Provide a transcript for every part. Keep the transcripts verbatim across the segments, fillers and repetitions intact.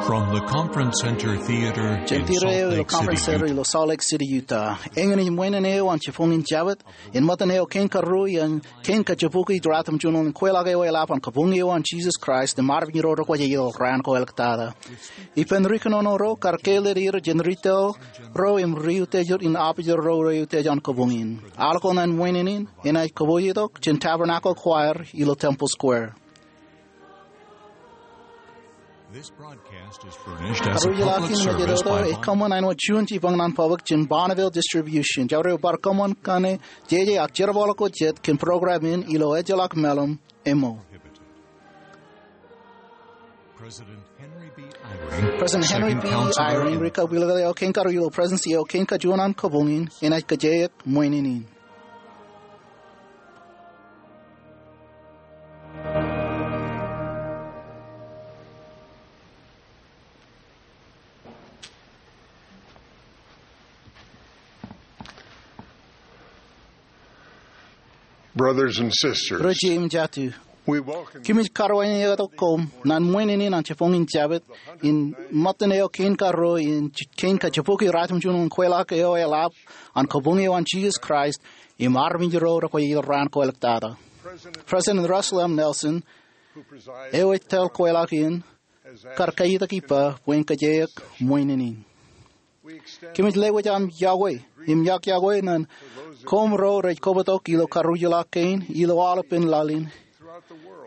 From the Conference Center Theater in Salt Lake City, Utah. Jen theater eo ilo Conference Center ilo Salt Lake City, Utah. Eñin ej ṃwiin eo an jibboñin Jabōt, in ṃōttan eo kein karuo in kein kajebukwi ratimjuonñoul in kweilọk eo eḷap an Kabuñ eo an Jisōs Kraist im armej ro rekwōj aer raan ko āliktata. Ippān ri kōnono ro kar kāālōt er jān ri tōl ro im ri utiej in apijer ro rej utiej an kabuñ in. Al ko ñan ṃwiin in, enaaj kapooj tok jān Tabernacle Choir ilo Temple Square. This broadcast is furnished as a public service by Bonneville Distribution. Kōṃṃan āinwōt juon jibboñ ñan public jān Bonneville Distribution. Jabdewōt eo bar kōṃṃan kaṇe jeje ak jerbal ko jet kōn program in ilo ejjeḷọk meḷeḷe, ṃōk. President Henry B. Eyring, President Henry B. Eyring, ri kab ilo kein karuo ilo President eo kein kajuon an kabuñ in, enaaj kajjioñ ṃwiin in. Brothers and sisters, ri jeiū im jatū, we welcome you. Kōmij karuwainene tok koṃ ñan ṃwiin in an jibboñin Jabōt in ṃōttan eo kein karuo in kein kajebukwi ratimjuonñoul in kweilọk eo eḷap an Kabuñ eo an Jisōs Kraist im armej ro rekwōj aer raan ko āliktata. President Russell M. Nelson, eo ej tōl kweilọk in, kar kaiitak ippa bwe en kajjioñ ṃwiin in. Kōmij lewōj aṃ iọkwe im iọkiọkwe ñan koṃ ro rej kobtok ilo karuj ḷọk kein ilo aolepān laḷ in,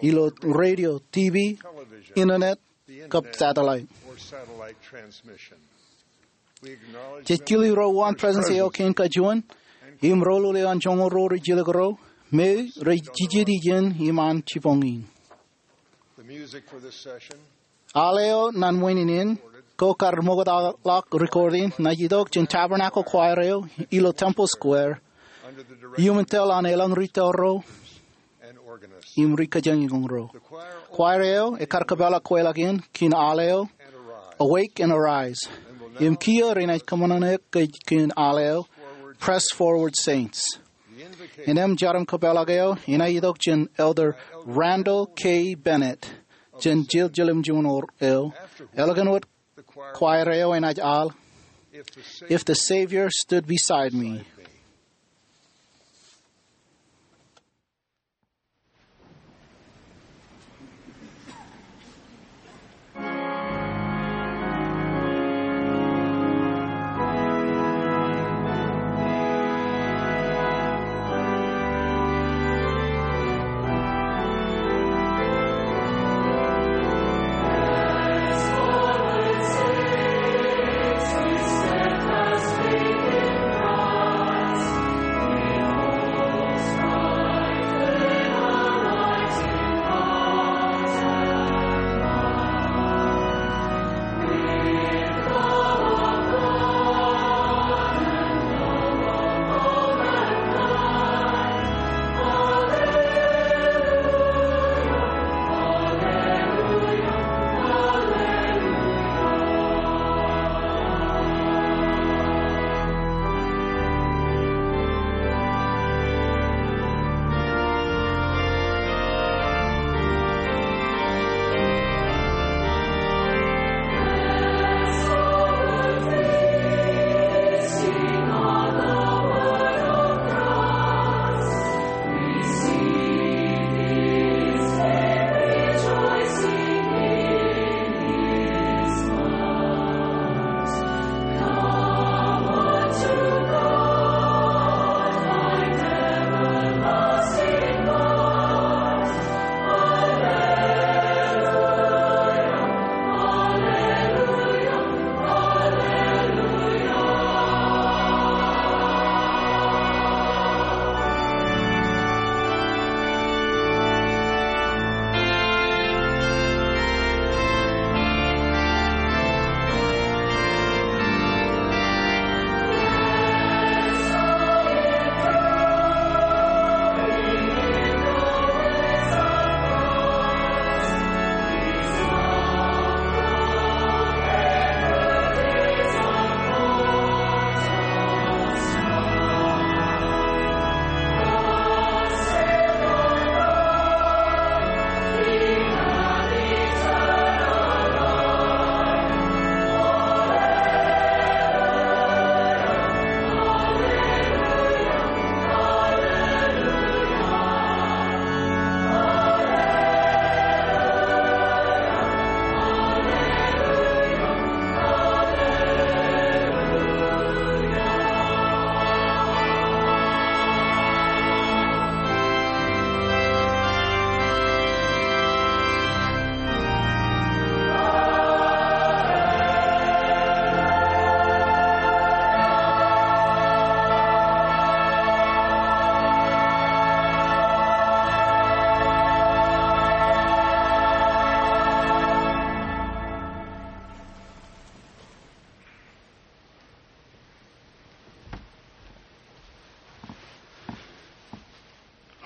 ilo radio, TV, internet, kab satellite. Jej kile ro uwaan President eo kein kajuon im ro lule an joñoul ro rej jilkinḷọk ro, me rej jejjet ijin im an jibboñ in. Al eo ñan ṃwiin in ko kar ṃoktaḷọk recording, enaaj itok jān Tabernacle Choir eo ilo Temple Square iuṃwin tōl an elōñ ri tōl ro im ri kōjañin ro. Choir eo ekar kōpeḷḷọk kweilọk in kōn al eo Awake and Arise. Im kiiō renaaj kōṃṃane kōj kōn al eo Press Forward, Saints. Innām jar im kōpeḷḷọk eo enaaj itok jān Elder Randall K. Bennett jān jeḷā jiljilimjuonñoul eo. Eḷap wōt, choir eo enaaj al If the Savior Stood Beside Me.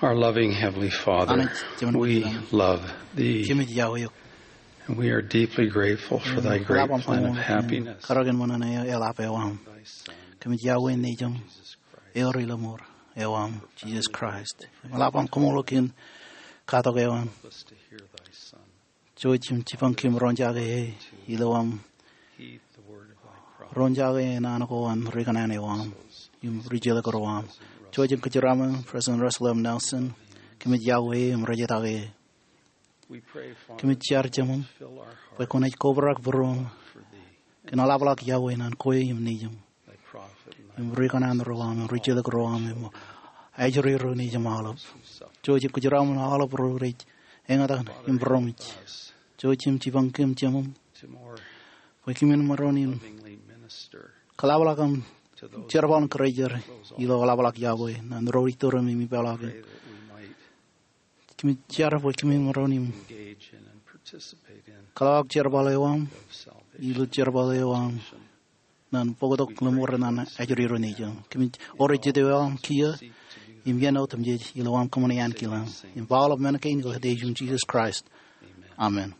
Our loving Heavenly Father, Anij Jemān we Kōnono, love Thee, kōmij iọkwe eok. And we are deeply grateful for Thy great plan of happiness. Im eḷap aṃ koṃṃool kōn karōk in ṃōṇōṇō eḷap eo aṃ. Kōmij iọkwe Nejiṃ, eor ilo mour eo aṃ, Jisōs Kraist. Im eḷap aṃ koṃṃool kōn katok eo aṃ. Jouj im jipañ kōm roñjake e ilo aṃ roñjake e naan ko an ri kōṇaan eo aṃ im ri jelōk ro aṃ. Jouj im kōjeraaṃṃan President Russell M. Nelson. Kōmij iọkwe e im rejetake e. Kōmij jar Jemem bwe kwōnaaj kobrak būruōm kōn eḷapḷọk iọkwe naan kwe im Nejiṃ im ri kōṇaan ro aṃ im ri jelōk ro aṃ im ajri ro nejūṃ aolep. Jouj im kōjeraaṃṃan aolep ro rej eñtaan im būroṃōj. Jouj im jipañ kōm Jemem bwe kōmin maroñ in kōḷapḷọk aṃ jerbal in kōrejjer ilo eḷapḷọk iọkwe naan ro rej tōre im ipeḷọk in. Kōmij jar bwe kōmin maroñ im kōḷapḷọk jerbal eo aṃ ilo jerbal eo aṃ naan bōktok ḷōṃaro naan ajri ro nejūṃ. Kōmij ewōr jet eo aṃ kiiō im iien otemjej ilo aṃ kōṃṃane ankilañ. Im ba aolep men kein ilo etan Jisōs Kraist. Amen.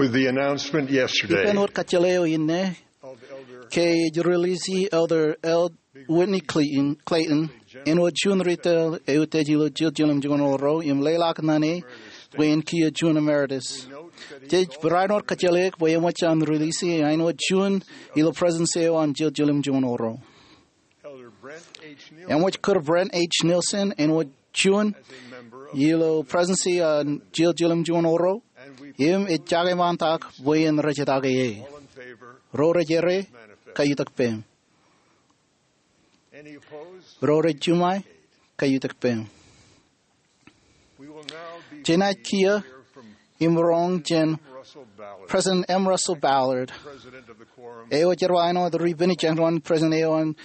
With the announcement yesterday Ippān wōt kajjeḷā eo inne, ke ej rilisi Elder L. Whitney Clayton, Clayton, āinwōt juon retail eutiej ilo Jiljilimjuon Orro im leḷọk naan e bwe en kiiō juon emeritus. Jej barāinwōt kajjeḷāik bwe eṃōj an rilisi e āinwōt juon ilo Presidency eo an Jiljilimjuon Orro. Eṃōj kūr Brent H. Nielsen āinwōt juon ilo Presidency an Jiljilimjuon Orro. Im ej jakemantak bwe en rejetaake e. Ro rej ere, kaitak peiṃ. Ro rej juṃae, kaitak peiṃ. Jenaaj kiiō im roñ jān President M. Russell Ballard, eo jerbal āinwōt ri-penitōnñoul president eo an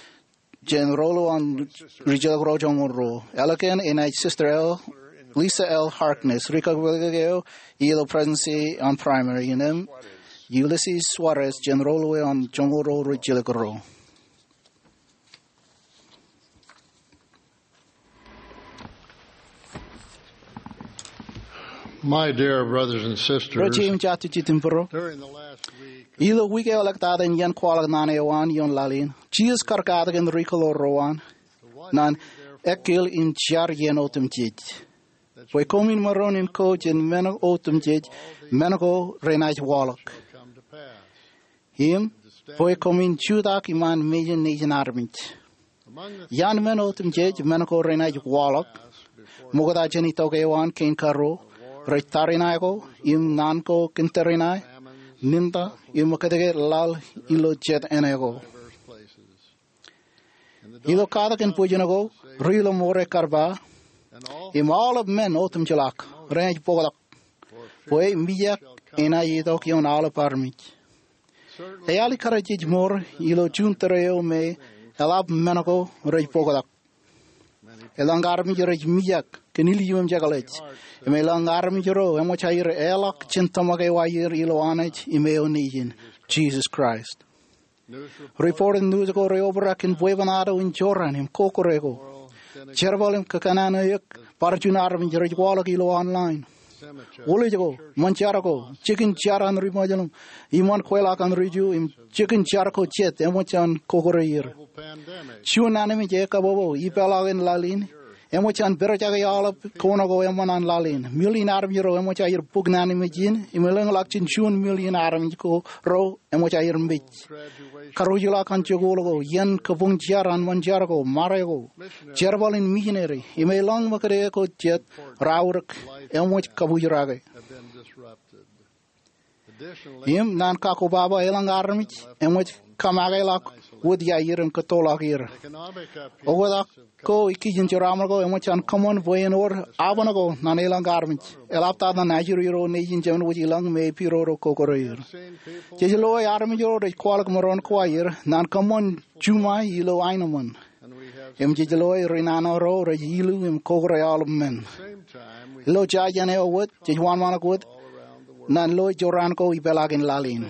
jān Ro Ruo an Ri-Jilkinro Joñoul Ruo. Ālikin enaaj Sister L. Lisa L. Harkness, ri-kōpooḷ eo ilo Presidency an Primary, im Ulysses Soares jān Ro Ruo an Joñoul Ruo Ri-Jilkinro. My dear brothers and sisters, Ro jeim jatū jitūṃ būruō, during the last week, ilo wiik eo eḷḷọk tata in iien kwaḷọk naan eo an ioon laḷ in, Jisōs kar katakin ri-kōḷaḷ ro an ñan ekkil im jar iien otemjej, bwe koṃwin maroñ in ko jān men otemjej men ko renaaj waḷọk, im bwe koṃwin jutak iṃaan mejān nejin armej. Iaan men otemjej men ko renaaj waḷọk ṃokta jān itok eo an kein karuo, rej tariṇae ko im naan ko kōn tariṇae, ninta im kōtke laḷ ilo jet āne ko. Ilo katakin bwijin ko, ri-ḷōṃaro kar ba, im aolep men otemjej ḷọk renaaj bōktok, bwe mijak enaaj itok ioon aolep armej. Eali kar jej mour ilo juon tōre eo me eḷap men ko rej bōktok. Elōñ armej rej mijak kōn ilju im jekḷaj, im elōñ armej ro eṃōj aer eḷọk jān tōmak eo aer ilo Anij im eo Nejin, Jisōs Kraist. Ripoot in nuuj ko rej obrak kōn bwebwenato in jorrāān im kōkōrā ko. Jerbal im kōkōṇaan eok bar juon armej rej waḷọk ilo online. Wūlej ko, ṃōn jar ko, jikin jar an ri-Muslim, iṃaan kweilọk an ri-Ju, im jikin jar ko jet eṃōj an kōkōrā er. Juon ānmej ekapopo ipeḷaakin laḷ in eṃōj an pedejake aolep kōṇaan ko eṃṃan an laḷ in. Million armej ro eṃōj aer bōk naan in mej in, im elōñḷọk jān juon million armej ko ro eṃōj aer mej. Karuj ḷọk an jikuuḷ ko, iien kabuñ jar an ṃōn jar ko, mare ko, jerbal in missionary, im elōñ ṃōkade ko jet raorōk eṃōj kabujrake. Im naan kakkobaba, elōñ armej eṃōj kōmake ḷọk wōt iaer im kōttoḷọk er. Oktak ko ikijjeen jeraaṃṃan ko eṃōj an kōṃṃan bwe en wōr abṇōṇō ko ñan elōñ armej. Eḷaptata ñan ajri ro nejin jemān wōj ilọk me epiroro kōkōrā er. Jej loe armej ro rej kwaḷọk maroñ ko aer ñan kōṃṃan juṃae ilo aenōṃṃan. Im jej loe ri nana ro rej ilu im kōkōrā aolep men. Ilo jān eo wōt, jej wōnṃaanḷọk wōt ñan loe jorrāān ko ipeḷaakin laḷ in.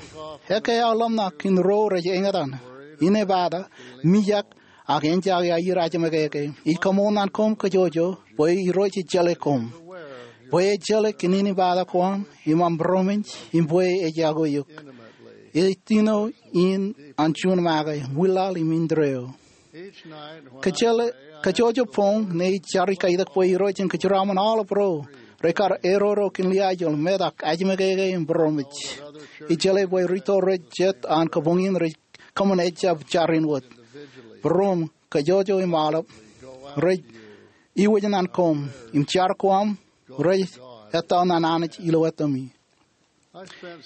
Ekkā aō ḷōmṇak kōn ro rej eñtaan, inepata, mijak, ak enjake aer ajemekeke. Ij kōmour ñan koṃ kōjwōjwo bwe Irooj ej jeḷā koṃ, bwe ej jeḷā kōn inepata ko aṃ im aṃ būroṃōj, im bwe ej jako eok. Ej tino in an juon make, wūlaḷ im indeeo. Kōjwōjwo boñ ñe ij jar, ij kaitak bwe Irooj en kōjeraaṃṃan aolep ro rekar eroro kōn liaajol, metak, ajemekeke im būroṃōj. Ij jeḷā bwe rūtto rej jet an kabuñ in rej kōṃṃan ejjab jar in wōt. Būroṃ, kōjwōjwo im aolep rej iwōj ñan koṃ, im jar ko aṃ rej ettā ñan Anij ilo etaṃ.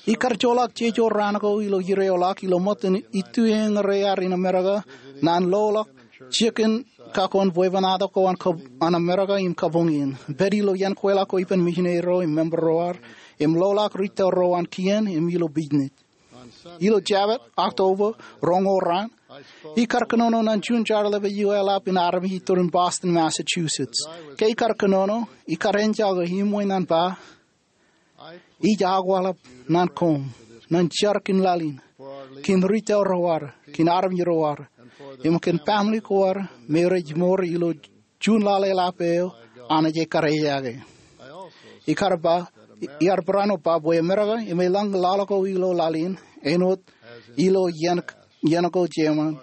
Ij kar joḷọk jeje raan ko ilo ireoḷọk ilo ṃōttan itueñrear in Amerika ñan loḷọk jikin kakkōn bwebwenato ko an Amerika im kabuñ in. Pād ilo iien kweilọk ko ippān misineri ro im member ro ad, im loḷọk rūtto ro an kien im ilo business. Ilo Jabōt, October roñoul raan, ij kar kōnono ñan juon jar ḷapḷap eo eḷap in armej itōrin Boston, Massachusetts. Ke ij kar kōnono, ij kar enjake iṃwe ñan ba, ij akwāḷap ñan koṃ, ñan jar kōn laḷ in, kōn rūtto ro ad, kōn armej ro ad, im kōn family ko ad me rej mour ilo juon laḷ eḷap eo Anij ekar ejake. Ij kar ba, ij kar barāinwōt ba bwe Amerika im elōñ laḷ ko ilo laḷ in, āinwōt ilo iien, iien ko jeṃaan,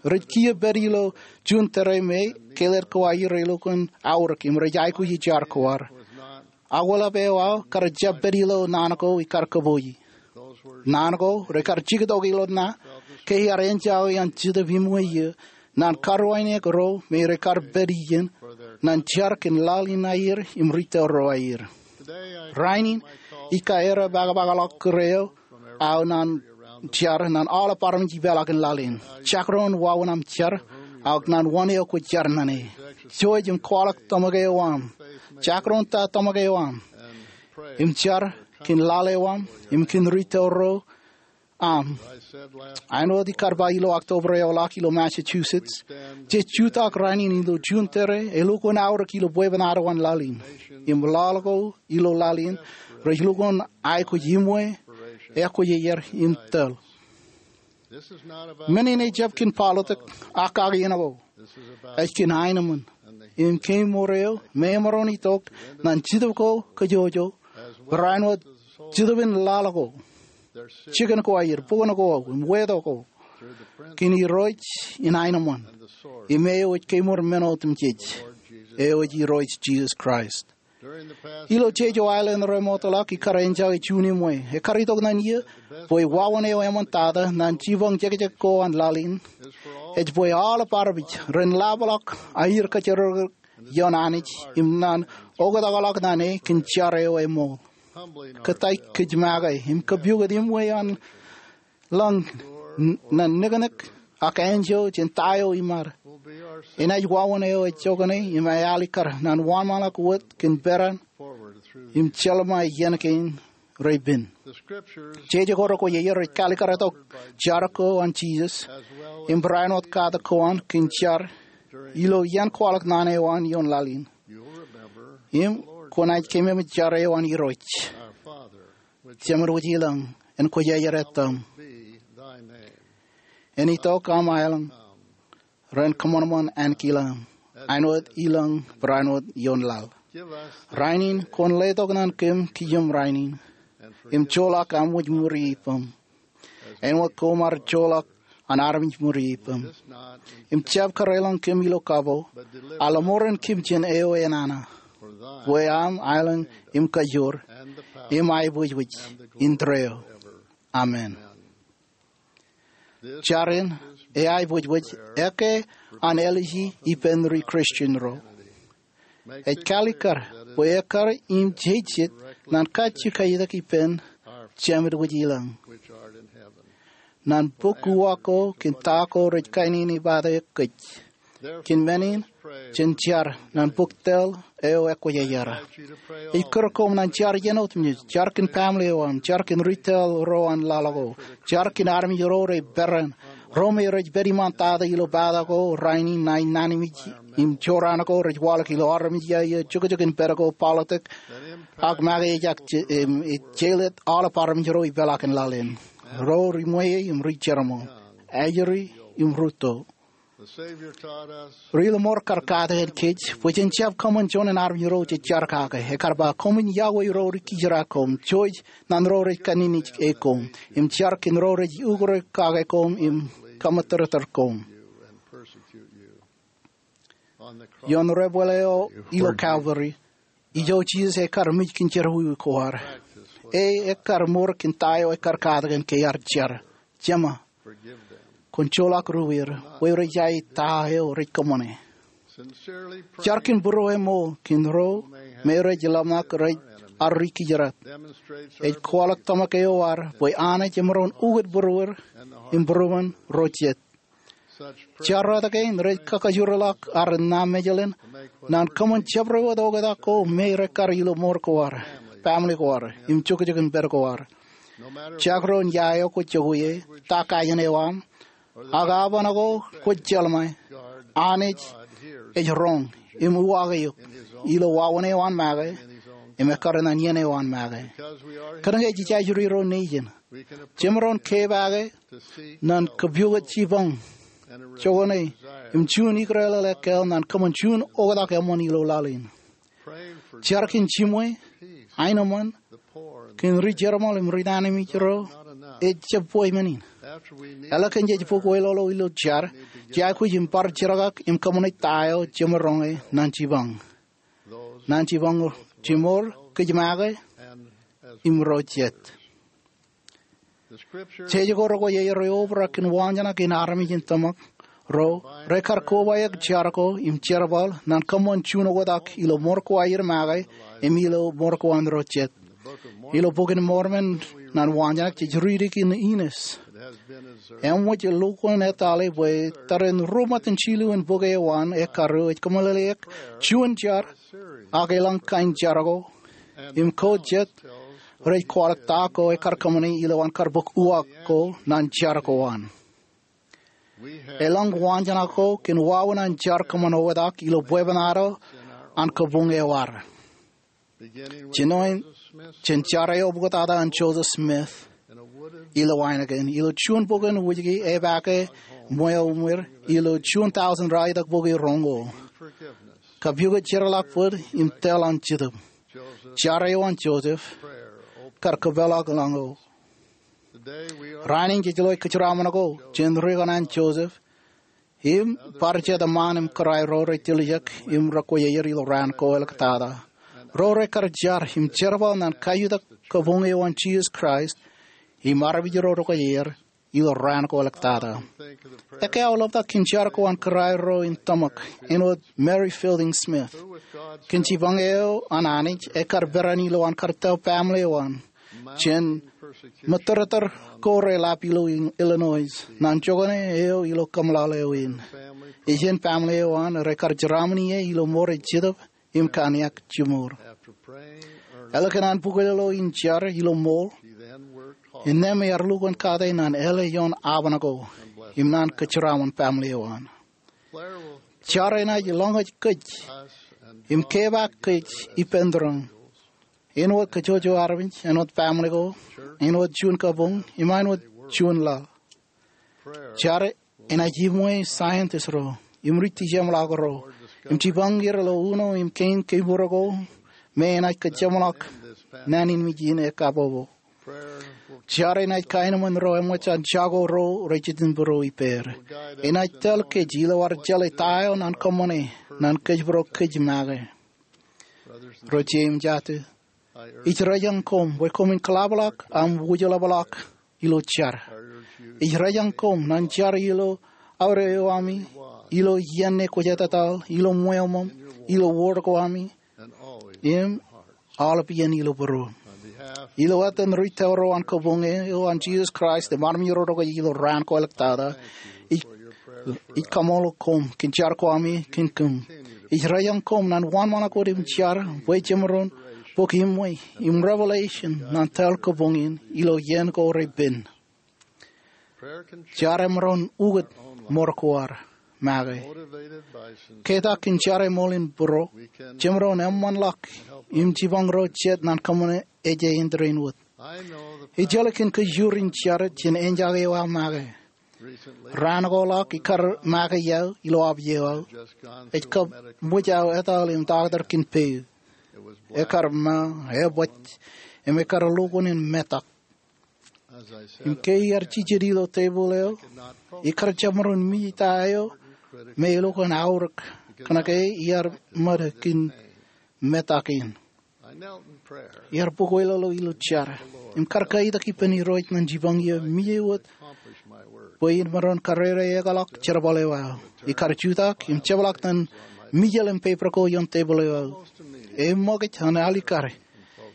rej kiiō pād ilo juon tōre me keled ko aer elukkuun aorōk im rej aikuji jar ko ad. Akwāḷap eo aō kar jab pād ilo naan ko ij kar kōpooji. Naan ko rekar jiktok ilo ṇa ke iar enjake an Jetōb Iṃwe iiō ñan karuwainwōt ro me rekar pād ijin ñan jar kōn laḷ in aer im rūtto ro aer. Rainin, Ikka errā pakapakalọk kōrā eo aō naan jar naan aolep armej ipeḷaakin laḷ in. Jakrōn wāween aṃ jar, ak naan wōn eo kwōj jar ñan e. Jouj im kwaḷọk tōmak eo aṃ. Jakrōn ta tōmak eo aṃ. Im jar kōn laḷ eo aṃ im kōn ri tōl ro aṃ. Āinwōt ikar ba ilo October eoḷaak ilo Massachusetts, jej jutak rainin ilo juon tōre elukkuun aorōk ilo bwebwenato an laḷ in. Im laḷ ko ilo laḷ in rej lukkuun aikuj iṃwe, ekwōjarjar im tōl. Men in ejjab kōn politics ak kakien ko. Ej kōn aenōṃṃan im kemour eo me emaroñ itok ñan Jetōb ko kajjojo, barāinwōt Jetōb in laḷ ko, jikin ko aer, bukun ko, im weto ko, kōn Irooj in aenōṃṃan im eo ej kemour men otemjej, eo ej Irooj Jisōs Kraist. Ilo jeje aelōñ remootḷọk ikar enjake juon iṃwe, ekar itok ñan iiō bwe wāween eo eṃōj tata ñan jipañ jekjek ko an laḷ in ej bwe aolep armej ren laḷḷọk aer kōjatdikdik ioon Anij im ñan oktakḷọk ñan e kōn jar eo eṃool. Kōttāik kōj make im kapukot iṃwe an laḷ ñan niknik ak enjeḷ jān ta eo iṃad. Enaaj wāween eo ej jokane im ealikkar ñan wānṃaanḷọk wōt kōn peran im jeḷā iien kein repen. Jeje ko rekwōjarjar ej kalikkar tok jar ko an Jisōs im barāinwōt katak ko an kōn jar ilo iien kwaḷọk naan eo an ioon laḷ in. Im kwōnaaj keememej jar eo an Irooj: Jemān wōj ilañ, en kwōjarjar etaṃ. En itok aṃ aelōñ. Ren kōṃanṃan ankilaṃ, āinwōt ilañ barāinwōt ioon laḷ. Rainin kwōn letok ñan kōm kijem rainin im joḷọk aṃ wōj ṃuri ippaṃ, āinwōt koṃ ar joḷọk an armej ṃuri ippaṃ. Im jab kareḷọñ kōm ilo kapo, a ḷōṃoren kōm jān eo enana. Bwe aṃ aelōñ im kajoor im aebwijbij indeeo. Amen. Jar in eaibwijbij eke an āliji ippān ri Kristian ro. Ej kalikkar bwe ekkar im jejjet ñan kajjitōk ippān Jemān wōj ilañ, ñan bok uwaak ko kōn ta ko rej kainene bate kōj. Kōn men in, jen jar ñan bok tōl eo ekwōjarjar. Ij kūr koṃ ñan jar iien otemjej, jar kōn family eo aṃ, jar kōn ri tōl ro an laḷ ko, jar kōn armej ro rej peran, ro me rej pād iṃaan tata ilo pata ko rainin, ñan nañinmej im jorrāān ko rej waḷọk ilo armej ia eo jokjok in pād ko, politics, ak make ejak je-, im, ej jeḷā aolep armej ro ipeḷaakin laḷ in, ro ri ṃweiie im ri jerbal, ajri im rūtto. Ri lōṃor kar katakin kōj bwe jen jab kōṃṃan juon in armej ro jej jar kake. Ekar ba, koṃwin yokwe ro rej kijeraak koṃ, jouj ñan ro rej kanniōnōj koṃ, im jar kōn ro rej ukōrōk kake koṃ im kaṃōttōrtōr koṃ. Ioon debwāāl eo ilo Calvary, ijo Jisōs ekkar mej kōn jerọwiwi ko ad. E ekkar ṃool kōn ta eo ekkar katakin ke ear jar: Jema, kwōn joḷọk ruweier, bwe rej ae ta eo rej kōṃṃane. Jar kōn būrueṃ ṃool kōn ro me rej lōmṇak rej ar ri kijeraat. Ej kwaḷọk tōmak eo ad bwe Anij emaroñ ukōt būrueir im būrueṃ ro jet. Jar rot kein rej kakajoorḷọk ad ṇa mejeḷan ñan kōṃṃan jabdewōt oktak ko me rekkar ilo ṃool ko ad, family ko ad, im jokjok in pād ko ad. Jakrōn ia eo kwōj jokwe ie, ta kain eo aṃ, ak aoban ko kwōj jeḷā ṃae, Anij ej roñ im uwaak eok ilo wāween eo an make im ekkar ñan iien eo an make. Kōnke jej ajri ro nejin, jemaroñ kepake ñan kapukot jipañ, jokane, im juon ikōrāāl ekkāāl ñan kōṃṃan juon oktak eṃṃan ilo laḷ in. Jar kōn jiṃwe, aenōṃṃan, kōn ri jerbal im ri nañinmej ro ej jab bwe men in. Eḷak kōn jej bōk weḷọkḷọk ilo jar, jej aikuj im bar jerkak im kōṃṃane ta eo jemaroñ e ñan jipañ, ñan jipañ jimor kōj make im ro jet. Jeje ko rekwōjarjar rej obrak kōn wañjana kōn armej in tōmak ro rekar kobaik jar ko im jerbal ñan kōṃṃan juon oktak ilo ṃool ko aer make im ilo ṃool ko an ro jet. Ilo Bok in Mormon, ñan waanjoñak jej riiti in Inis. Eṃōj lukkuun etale bwe tōre in ruo ṃōttan jilu in bok eo an ekkar eo ej kōmeḷeḷeik juon jar, ak elōñ kain jar ko, im ko jet rej kwaḷọk ta ko ekkar kōṃṃane ilowaan kar bōk uwaak ko ñan jar ko an. Elōñ waanjoñak ko kōn wāween an jar kōṃṃan oetak ilo bwebwenato an kabuñ eo ad. Jinoin jān jar eo epukotata an Joseph Smith ilo Heineken, ilo juon bok in wūjke epaake ṃweo ṃwir, ilo juon tọujin ralitōk bok iroñ ko. Kapukot jeorḷọk bōd im tōl an Jetōb. Jar eo an Joseph kar kōpeḷḷọk lañ ko. Rainin jej lo kōjeraṃṃan ko jān rikōṇaan Joseph im bar jet eṃṃaan im kōrā ro rej tiljek im rekwojarjar ilo raan ko āliktata. Ro rekar jar im jerbal ñan kaiutak kabuñ eo an Jisōs Kraist im armej ro rekwōjarjar ilo raan ko āliktata. Ekkā aō ḷaptata kōn jar ko an kōrā ro in tōmak, āinwōt Mary Fielding Smith, kōn jipañ eo an Anij ekkar peran ilowaan kar tō baaṃle eo an jān ṃōttōrtōr ko reḷap ilo Illinois ñan jokane eo ilo kōmeḷeḷe eo in. Ijin baaṃle eo an rekar jeraaṃṃan ie ilo ṃool rej jetōb im kaniak jiṃor. Ālikin an bukwōlolo in jar ilo ṃool, innām ear lukkuun kate ñan āle ioon aban ko im ñan kōjeraaṃṃan baaṃle eo an. Jar enaaj lọñōj kōj im kepaak kōj ippān tūroñ, āinwōt kōjwōjwo armej, āinwōt baaṃle ko, āinwōt juon kabuñ, im āinwōt juon laḷ. Jar enaaj iṃwe scientist ro im ri dijeṃḷọk ro im jipañ er ilo uno im kein kemour ko me enaaj kōjeṃḷọk naan in mej in ekkapopo. Jar enaaj kaenōṃṃan ro eṃōj an jako ro rej jitin būruō ippāer. Enaaj tōl kōj ilo ad jeḷā ta eo ñan kōṃṃane ñan kōjparok kōj make. Ro jeiū im jato, ij rōjañ koṃ bwe koṃwin kōḷapḷọk aṃ wūjlepḷọk ilo jar. Ij rōjañ koṃ ñan jar ilo aorōk eo ami, ilo iien ṇe kwōj etataḷ, ilo ṃweo ṃōṃ, ilo wōr ko ami, im aolep iien ilo būruō. Ilo etan ri tōro an kabuñ eo an Jisōs Kraist im armej ro rekwōjarjar ilo raan ko āliktata, ij, ij kaṃṃoolol koṃ kōn jar ko ami kōn kōm. Ij rōjañ koṃ ñan wōnṃaanḷọk wōt im jar bwe jemaroñ bōk iṃwe im revelation ñan tōl kabuñ in ilo iien ko repen. Jar emaroñ ukōt ṃor ko ad make. Ketak kōn jar eṃool in būruō, jemaroñ eṃṃanḷọk im jipañ ro jet ñan kōṃṃane ejān in tōre in wōt. Ij jeḷā kōn kōjro in jar jān enjake eo aō make. Raan ko ḷọk ikar make iaō ilo opio eo aō. Ej kab ṃōj aō etal im taktō kōn peid. Ekar ma, ebōj, im ekar lukkuun in metak. Im ke iar jijet ilo tebōḷ eo, ikar jab maroñ mej ta eo me elukkuun aorōk, kōnke iar ṃōd kōn metak in. Iar bukwōlolo ilo jar im kar kaitak ippān Irooj ñan jipañ eō mej wōt bwe in maroñ karere ekḷọk jerbal eo aō. Ikar jutak im jepḷaak ñan mijel im peper ko ioon tebōḷ eo aō. Eṃṃakūt an alikkar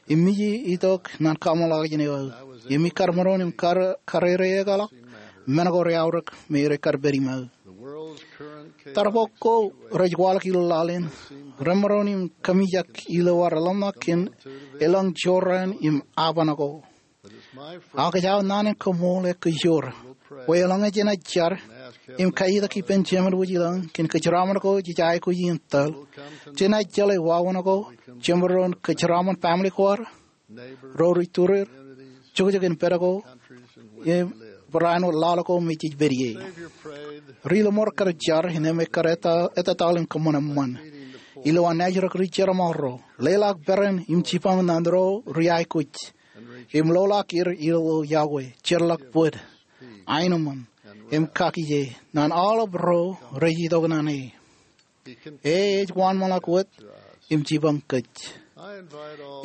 im mej itok ñan kaṃṃoḷọkjeṇ eo aō. Im ikar maroñ im kar, karere ekḷọk men ko reaorōk me rekar pād iṃaō. Tarbok ko rej waḷọk ilo laḷ in remaroñ im kōmijak ilo ad ḷōmṇak kōn elōñ jorrāān im aban ko. Ak ej aō naan in kaṃṃoolol kōjro bwe eḷaññe jenaaj jar im kaitak ippān Jemān wōj ilañ kōn kōjeraaṃṃan ko jej aikuj in tōl, jenaaj jeḷā wāween ko jemaroñ kōjeraaṃṃan baaṃle ko ad, ro ri tūreer, jokjok in pād ko, im barāinwōt laḷ ko me jej pād ie. Ri lọmọọr kar jar innām ekkar eta, etataḷ im kōṃṃan eṃṃan. Ilowaan naajrōk ri jerbal ro, leḷọk peran im jipañ ñan ro ri aikuj, im loḷọk er ilo iọkwe, jerḷọk bōd, aenōṃṃan, im kakije ñan aolep ro rej itok ñan e. E ej wōnṃaanḷọk wōt im jipañ kōj.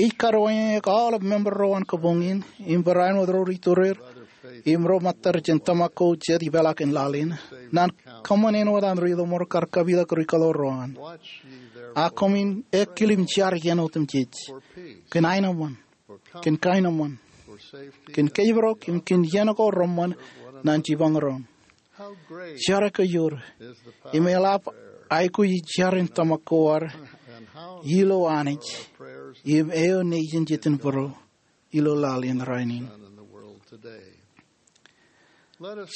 Ij karuwainene aolep member ro an kabuñ in, im barāinwōt ro ri tūreer, im ro ṃōttad jān tōmak ko jet ipeḷḷọk in laḷ in, ñan kōṃṃan āinwōt an ri lọmọọr kar kapitak ri kōḷoor ro an. Ak koṃwin ekkilōk im jar iien otemjej kōn aenōṃṃan, kōn kaenōṃṃan, kōn kōjparok im kōn iien ko reṃṃan ñan jipañ doon. Jar eo kōjro im eḷap aikuj jar in tōmak ko ad ilo Anij im eo nejin Jetōnbōro ilo laḷ in rainin.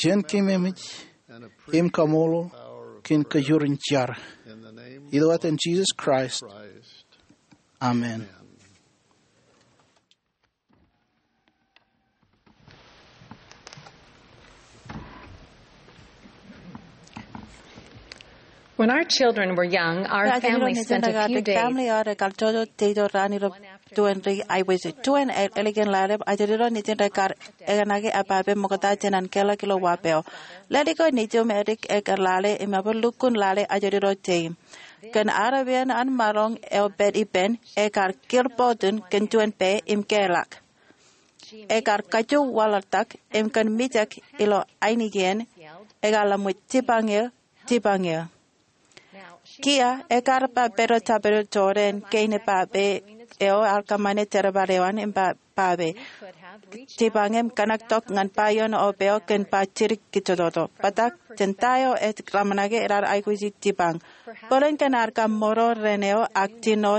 Jen keememej im kaṃṃoolol kōn kōjro in jar. Ilo etan Jisōs Kraist, amen. When our children were young, our family spent a few days. Family eo ad ekar jojo jeito raan ilo tuen ri aiboojoj. Tuen ālikin lale, ajri ro nejin rekar ekōṇaan epape ṃokta jān an kelọk ilo wāween. Lale ko nejūṃ edik ekar lale im ebar lukkuun lale ajri ro jeim. Kōn arepen an maroñ eo pād ippān, ekar kūr bọtōn kōn juon pā im keḷọk. Ekar kajju waḷọktak im kōn mijak ilo ainikien, ekar ḷōmṇak, "Jipañ eō, jipañ eō." Kiiō, ekar ba pād ilo jabdewōt Jordan kein epape eo ear kōṃṃane jerbal eo an im ba, ba pād, "Jipañ im kōṇaktok ñan ba ioon ope eo kōn ba jidik kajjojo." Bōtaab jān ta eo ej ḷōmṇake, raar aikuji jipañ. Bōlen kōn ar kaṃṃoorro ren eo ak jino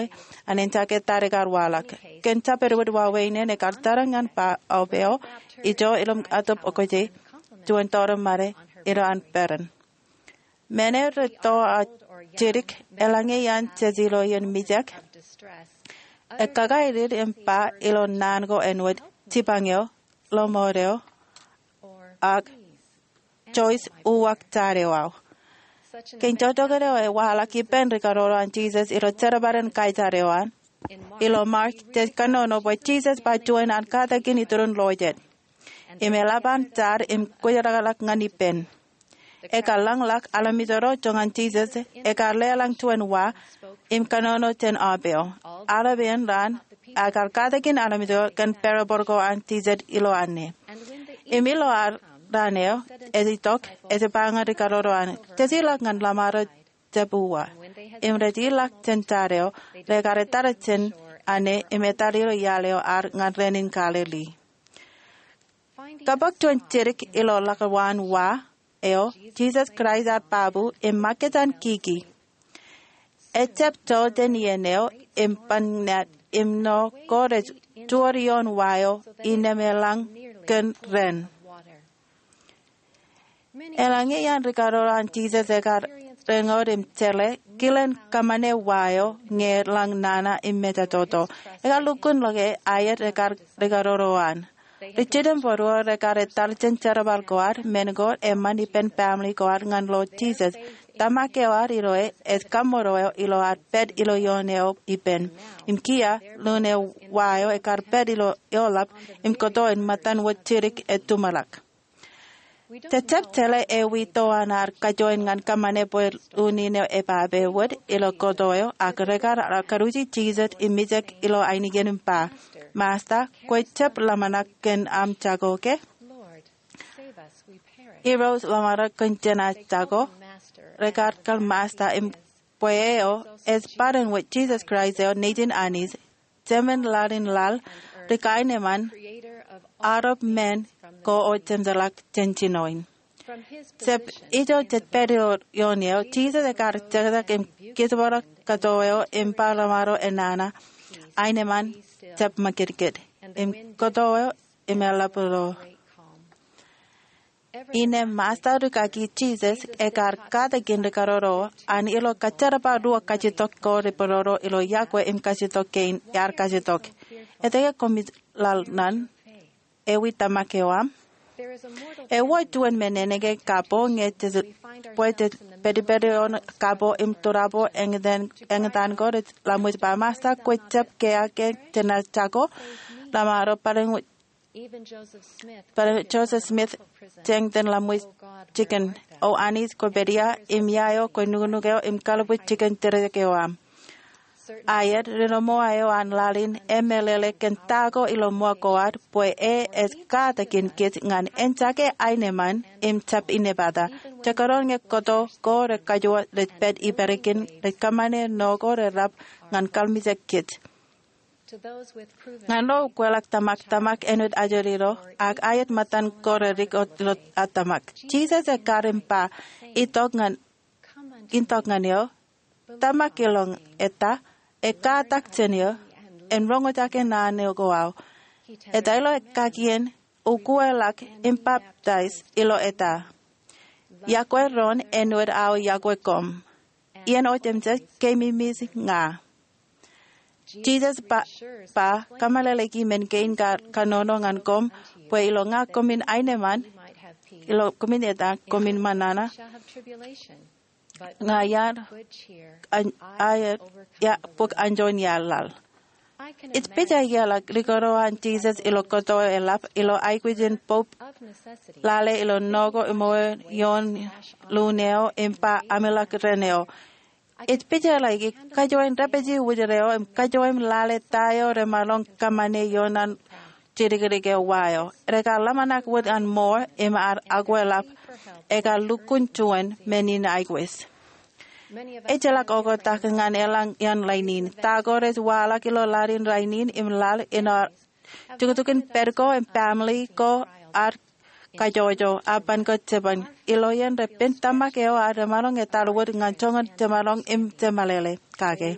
an eñjake ta rekar waḷọk. Kōn jabdewōt wāween in, ekar tarrin ñan ba ope eo, ijo ilo atōb okje, juon tōre ṃade ilo an peran. Men eo rej to aō jidik, eḷaññe iaan jej ilo iien mijak, ekakaer im ba ilo naan ko āinwōt, "Jipañ eō, ḷōṃoot eō, ak Joyce, uwaak jar eo aō." Kein jokjokit eo ewaḷọk ippān rikaroro an Jisōs ilo jerbal in kaijar eo an. Ilo Mark, jej kōnono bwe Jisōs ba juon an katakin iturin lo jet. Im eḷap an jar im kwōjarjar ñan ippān. Ekar ḷōñḷọk armej ro joñan Jisōs, ekar leḷọñ juon wa im kōnono jān ope eo. Arepen raan, ekar katakin armej ro kōn parable ko an Jisōs ilo anne. Im ilo raan eo ej itok, ej ba ñan rikaroro an, "Jej ilọk ñan ḷōṃaro jab uwa." Im rej ilọk jān jar eo, rekar etal jān anne im etal ilo iaḷ eo ad ñan raan in Galili. Kab juon jidik ilo ḷọk waan wa eo, Jisōs Kraist ear babu im ṃakūt an kiki. Ejab joḷ jān iien eo im ban ñan im ṇo ko rej juor ioon wa eo innām eḷaññe kōn raan. Eḷaññe iaan rikaroro an Jisōs ekar reñoul im jeḷā, kilen kōṃṃane wa eo ñe eḷaññe nana im mejatoto. Ekar lukkuun ḷōke aet rekar rikaroro an. Ri-Jetōnbōro rekar etal jān jerbal ko ad, men ko eṃṃan ippān family ko ad ñan ḷoor Jisōs. Tōmak eo ad iloe ej kaṃṃoorro eo ilo ad pād ilo ioon eo ippān. Im kiiō, lun eo wa eo ekar pād ilo eoḷap im kōto in ṃōttan wōt jidik ej tuṃaḷọk. Jej jab jeḷā ewi to an ar kajoin ñan kōṃṃane bwe unin eo epape wōt ilo kōto eo, ak rekar karuji Jisōs im mijak ilo ainikien im ba, "Masta, kwe jab ḷōmṇak kōn aṃ jako ke? Irooj, ḷōmṇak kōn jenaaj jako." Rekar kōḷ Masta im bwe eo ej bōlen wōt Jisōs Kraist eo, Nejin Anij, Jemān laḷ in laḷ, ri-kaenōṃṃan, Arop men ko ojemjeḷọk jān jinoin. Jab ijo jej pād ioon eo, Jisōs ekar jekjek im kijbōḷọk kōto eo im ba ḷōṃaro enana, "Aenōṃṃan, jab ṃakūtkūt." Im kōto eo im eḷap ro. Innām Masta rūkaki Jisōs ekar katakin rikaroro an ilo kōjerbal ruo kajitok ko rej pāroro ilo yokwe im kajitok kein ear kajitok. Etke koṃij laḷ ñan? Ewi tōmak eo aṃ? Ewōr juon men enōke kapo ñe jej, bwe jej pedped ioon kapo im turabo eñtaan, eñtaan ko rej ḷōmṇak ba, "Masta, kwe jab kea ke jenaaj jako?" Ḷōṃaro, "Bōlen Joseph Smith, jañ iten ḷōmṇak jikin. O Anij, kwe pād ia, im ia eo kwe nuknuk eo im kalbwij jikin tōre eo aṃ." Aet, ri-ṃool eo an laḷ in emeḷeḷe kōn ta ko ilo ṃool ko ad, bwe e ej katakin kōj ñan eñjake aenōṃṃan im jab inepata. Jekdọọn ñe kōto ko rej kajoor rej pād ippād kōn, rej kōṃṃane ṇo ko reḷap ñan kalimjek kōj. Ñan ro ukweḷọk tōmak, tōmak āinwōt ajri ro, ak aet ṃōttan ko redik ilo ad tōmak. Jisōs ekar im ba, itok ñan, itok ñan eō, tōmak iloñ eta, ekkatak jān eō, en roñjake naan ko aō. Eta ilo ekkakien, ukweḷọk im baptize ilo eta. Yokwe doon āinwōt aō yokwe koṃ. Iien otemjej keememej ña. Jisōs ba, ba, kōmeḷeḷeiki men kein kar kanono ñan koṃ, bwe ilo ña koṃwin aenōṃṃan, ilo koṃwin eta koṃwin ṃōṇōṇō, ña iar, an, aer, ia, bōk anjoin iaḷ laḷ. Ij pejjeḷọk likao an Jisōs ilo kōto eḷap ilo aikuj in Pope lale ilo nokwe im eoon ioon lukkuun eo im ba ameḷọk ren eo. Ij pejjeḷọk kajoin dāpiji wōjro eo im kajoin lale ta eo remaroñ kōṃṃane ioon an jidikdik eo wa eo. Rekar ḷōmṇak wōt an mour im ear akweḷap, ekar lukkuun juon men in aikuj. Ejjeḷọk oktak ñan eḷaññe iaan rainin. Ta ko rej waḷọk ilo laḷ in rainin im laḷ in ear tuktuk in pād ko im family ko ad kajjojo, apan ko jeban. Ilo iien repen tōmak eo ad remaroñ etal wōt ñan joñan jemaroñ im jemeḷeḷe kake.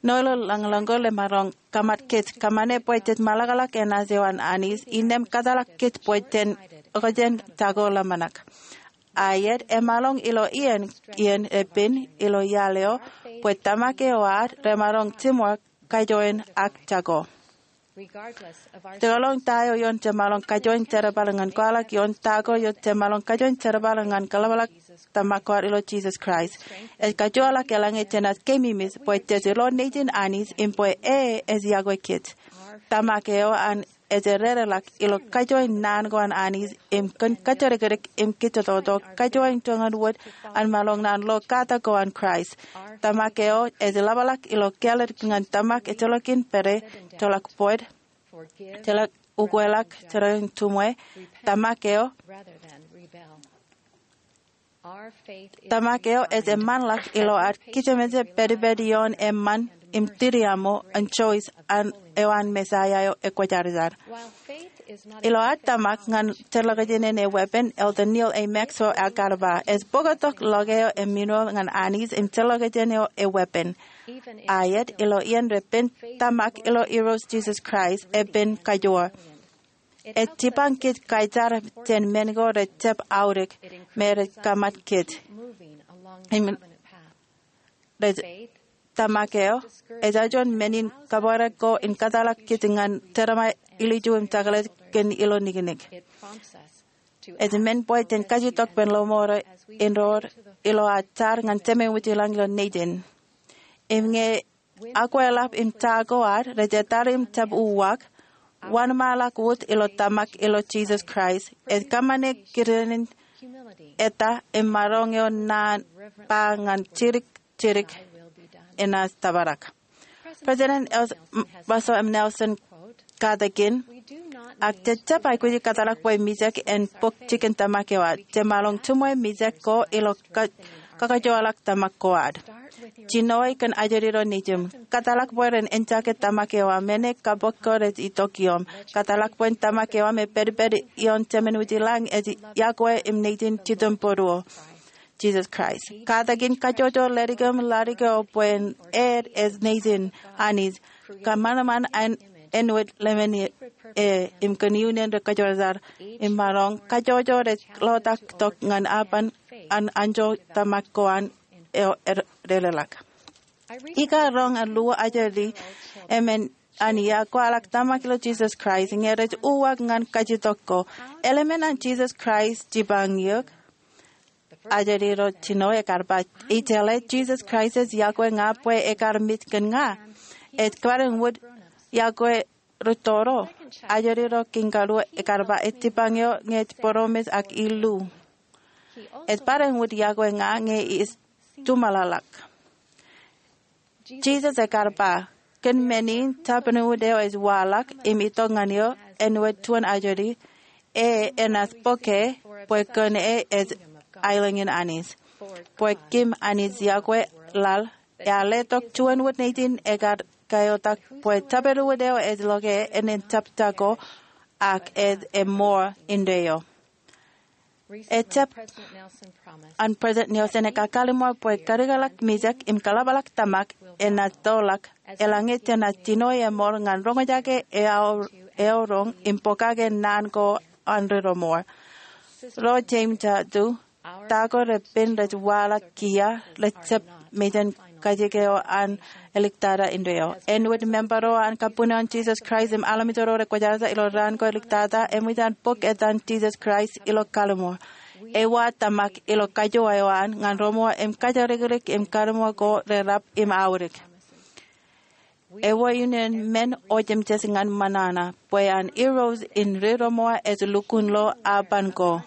Ṇo ilo lañlōñ ko remaroñ kōmat kōj, kōṃṃane bwe jej meḷọkḷọk enaaj eo an Anij, innām kōtḷọk kōj bwe jen okjān jako ḷōmṇak. Aet, emaroñ ilo iien, iien repen ilo iaḷ eo, bwe tōmak eo ad remaroñ jiṃor kajoin ak jako. Jekḷọk ta eo ioon jemaroñ kajoin jerbal ñan kwaḷọk ioon ta ko eo jemaroñ kajoin jerbal ñan kōḷapḷọk tōmak ko ad ilo Jisōs Kraist. Ej kajoorḷọk eḷaññe jenaaj keememej bwe jej ilo Nejin Anij im bwe e ej yokwe kōj. Tōmak eo an ej dedeḷọk ilo kajoin naan ko an Anij im kōn kōjatdikdik im kajjototo, kajoin joñan wōt an maroñ naan ḷo katak ko an Kraist. Tōmak eo ej ḷapḷọk ilo kāālōt ñan tōmak ejjeḷọkin pād, ejjeḷọk bōd, ejjeḷọk ukweḷọk, ejjeḷọkin tumwe. Tōmak eo, tōmak eo ej eṃṃanḷọk ilo ad kijemeje pedped ioon eṃṃan im tiriaṃo an choice an eo an Messiah eo ekwōjarjar. Ilo ad tōmak ñan jet ḷọkjeṇ in e weapon, Elder Neal A. Maxwell ekar ba, ej bōktok ḷọk eo emineer ñan Anij im jet ḷọkjeṇ eo e weapon. Aet, ilo iien repen tōmak ilo Irooj Jisōs Kraist epen kajoor. Ej jipañ kōj kaijar jān men ko rej jab aorōk me rej kōmat kōj. Im rej tōmak eo, ej juon men in kabōrā ko in kōtḷọk kōj ñan determine ilju im jekḷaj kōn ilo niknik. Ej men bwe jen kajjitōk ippān ḷōṃaro in roor ilo ad jar ñan Jemem wōj ilañ ilo Nejin. Im ñe akweḷap im ta ko ad rej etal im jab uwaak, wōnṃaanḷọk wōt ilo tōmak ilo Jisōs Kraist. Ej kōṃṃane kidinin eta im maroñ eo naan ba ñan jidik jidik enaaj tōprak. President El-, Russell M. Nelson katakin, ak jej jab aikuji kōtḷọk bwe mijak en bōk jikin tōmak eo ad. Jemaroñ jiṃwe mijak ko ilo ka-, kakajoorḷọk tōmak ko ad. Jinoe kōn ajri ro nejiṃ. Kōtḷọk bwe ren eñjake tōmak eo aṃ, men e kabok ko rej itok iōṃ. Kōtḷọk bwe tōmak eo aṃ epedped ioon Jemem wōj ilañ ej yokwe im Nejin Jitōnbōro, Jisōs Kraist. Katakin kajjojo ledik im ladik eo bwe en ej Nejin Anij. Kōṃanṃan āinwōt lemon e im kōn iunen ri-kōjwōjarjar im maroñ kajjojo rej ḷotak tok ñan apan an anjọ tōmak ko an eo ededeḷọk. Ikar roñ an luo ajri emān an ia kwaḷọk tōmak ilo Jisōs Kraist ñe rej uwaak ñan kajjitōk ko. Eḷmen an Jisōs Kraist jipañ eok? Ajri ro jino ekar ba, ijeḷā, Jisōs Kraist ej yokwe ña bwe ekar mej kōn ña. Ej kōpare in wōt yokwe rūtto ro. Ajri ro kiin karuo ekar ba, ej jipañ eō ñe ej promise ak illu. Ej pād in wōt yokwe ña ñe ij tuṃaḷḷọk. Jisōs ekar ba, kōn men in, Jabdewōt eo ej waḷọk im itok ñan eō āinwōt juon ajri, e enaaj bōke bwe kōn e ej aelōñ in Anij. Bwe kōm Anij yokwe laḷ, ear letok juon wōt Nejin ekar kaiotak bwe tōpar wōt eo ej loke enaaj jab jako, ak ej eṃṃool indeeo. Ejab an President Nelson ekakalimur bwe karikōḷọk mijak im kaḷapḷọk tōmak enaaj tōlḷọk eḷaññe jenaaj jino eṃool ñan roñjake eaor, eaorōñ im pokake naan ko an Ri Roṃool. Ro James Jadu, ta ko repen rej waḷọk kiiō, rej jab mejān kajjik eo an āliktata indeeo. Āinwōt member ro an Kabuñ an Jesus Christ im armej ro rekwōjarjar ilo raan ko āliktata, eṃōj an bōk etan Jesus Christ ilo kalimur. Ewōr tōmak ilo kajoor eo an ñan Roṃool im kōjatdikdik im kalimur ko reḷap im aorōk. Ewōr iien men eo jemjet ñan ṃōṇōṇō bwe an irooj in Ri Roṃool ej lukkuun lo aban ko.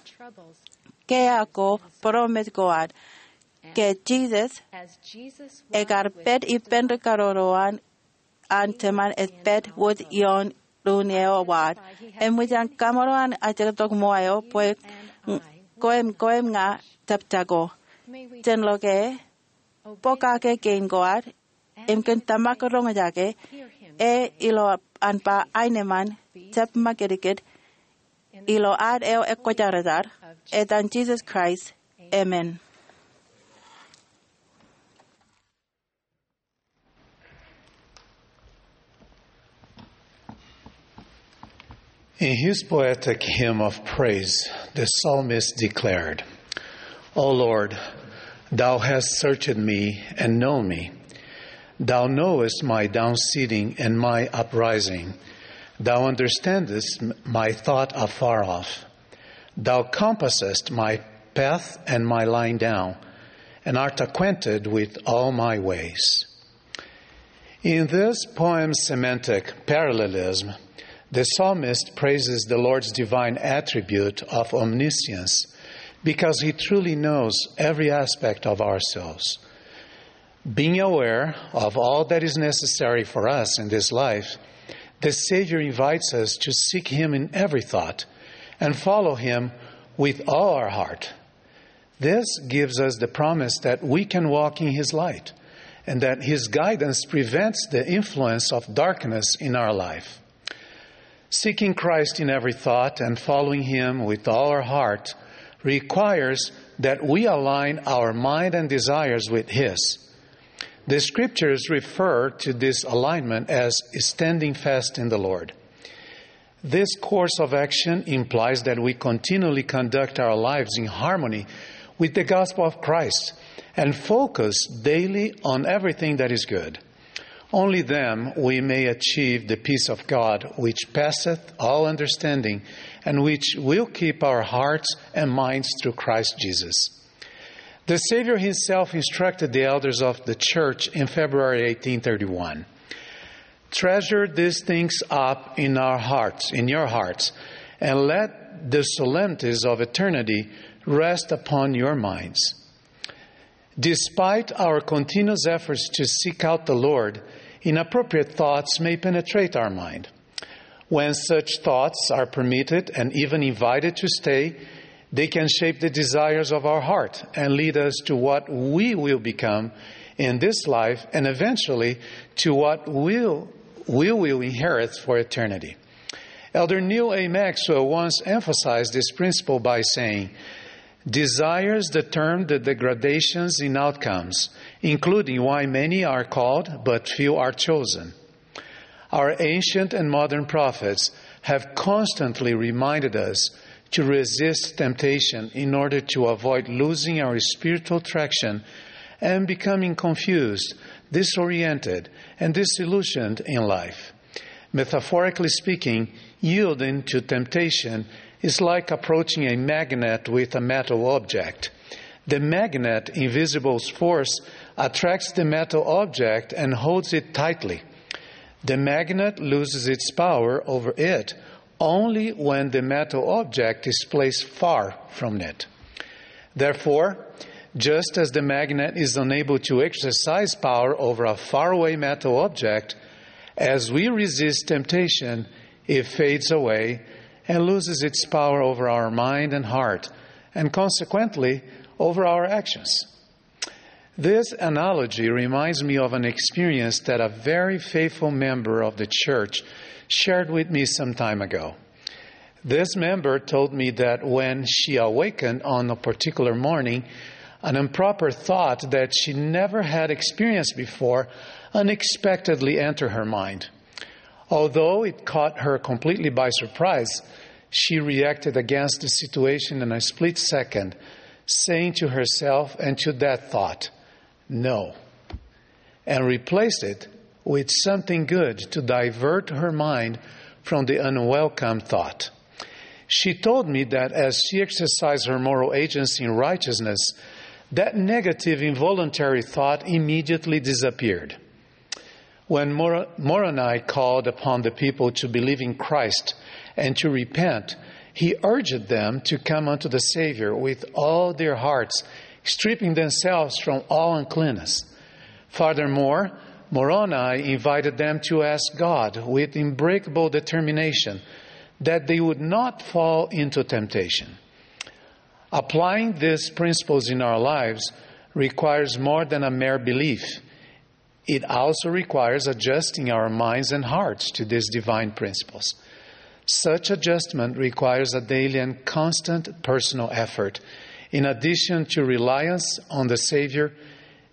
Ke ak ko būroṃōj ko ad. Ke Jesus ekar pād ippān ri karuo ro an, an Jemān ej pād wōt ioon ruo eo wōt. Eṃōj an kaṃro an ajektok ṃool eo bwe kwe im, kwe im ña jab jako. Jen loke, pokake kein ko ad, im kōn tōmak roñjake, e ilo an ba aenōṃṃan, jab ṃakūtkūt, ilo ad eo ekwōjarjar, etan Jesus Christ, amen. In his poetic hymn of praise, the psalmist declared, "O Lord, thou hast searched me and known me. Thou knowest my down sitting and my uprising. Thou understandest m-, my thought afar off. Thou compassest my path and my lying down, and art acquainted with all my ways." In this poem's semantic parallelism, the psalmist praises the Lord's divine attribute of omniscience because he truly knows every aspect of ourselves. Being aware of all that is necessary for us in this life, the Savior invites us to seek Him in every thought and follow Him with all our heart. This gives us the promise that we can walk in His light and that His guidance prevents the influence of darkness in our life. Seeking Christ in every thought and following Him with all our heart requires that we align our mind and desires with His. The scriptures refer to this alignment as standing fast in the Lord. This course of action implies that we continually conduct our lives in harmony with the gospel of Christ and focus daily on everything that is good. Only then we may achieve the peace of God, which passeth all understanding, and which will keep our hearts and minds through Christ Jesus. The Savior himself instructed the elders of the church in February eighteen thirty-one, "Treasure these things up in our hearts, in your hearts, and let the solemnities of eternity rest upon your minds." Despite our continuous efforts to seek out the Lord, inappropriate thoughts may penetrate our mind. When such thoughts are permitted and even invited to stay, they can shape the desires of our heart and lead us to what we will become in this life and eventually to what we'll, we will inherit for eternity. Elder Neal A. Maxwell once emphasized this principle by saying, "Desires determine the degradations in outcomes, including why many are called but few are chosen." Our ancient and modern prophets have constantly reminded us to resist temptation in order to avoid losing our spiritual traction and becoming confused, disoriented, and disillusioned in life. Metaphorically speaking, yielding to temptation is like approaching a magnet with a metal object. The magnet, in visible force, attracts the metal object and holds it tightly. The magnet loses its power over it only when the metal object is placed far from it. Therefore, just as the magnet is unable to exercise power over a faraway metal object, as we resist temptation, it fades away and loses its power over our mind and heart, and consequently, over our actions. This analogy reminds me of an experience that a very faithful member of the church shared with me some time ago. This member told me that when she awakened on a particular morning, an improper thought that she never had experienced before unexpectedly entered her mind. Although it caught her completely by surprise, she reacted against the situation in a split second, saying to herself and to that thought, "No," and replaced it with something good to divert her mind from the unwelcome thought. She told me that as she exercised her moral agency in righteousness, that negative involuntary thought immediately disappeared. When Mor-, Moroni called upon the people to believe in Christ and to repent, he urged them to come unto the Savior with all their hearts, stripping themselves from all uncleanness. Furthermore, Moroni invited them to ask God with unbreakable determination that they would not fall into temptation. Applying these principles in our lives requires more than a mere belief. It also requires adjusting our minds and hearts to these divine principles. Such adjustment requires a daily and constant personal effort, in addition to reliance on the Savior,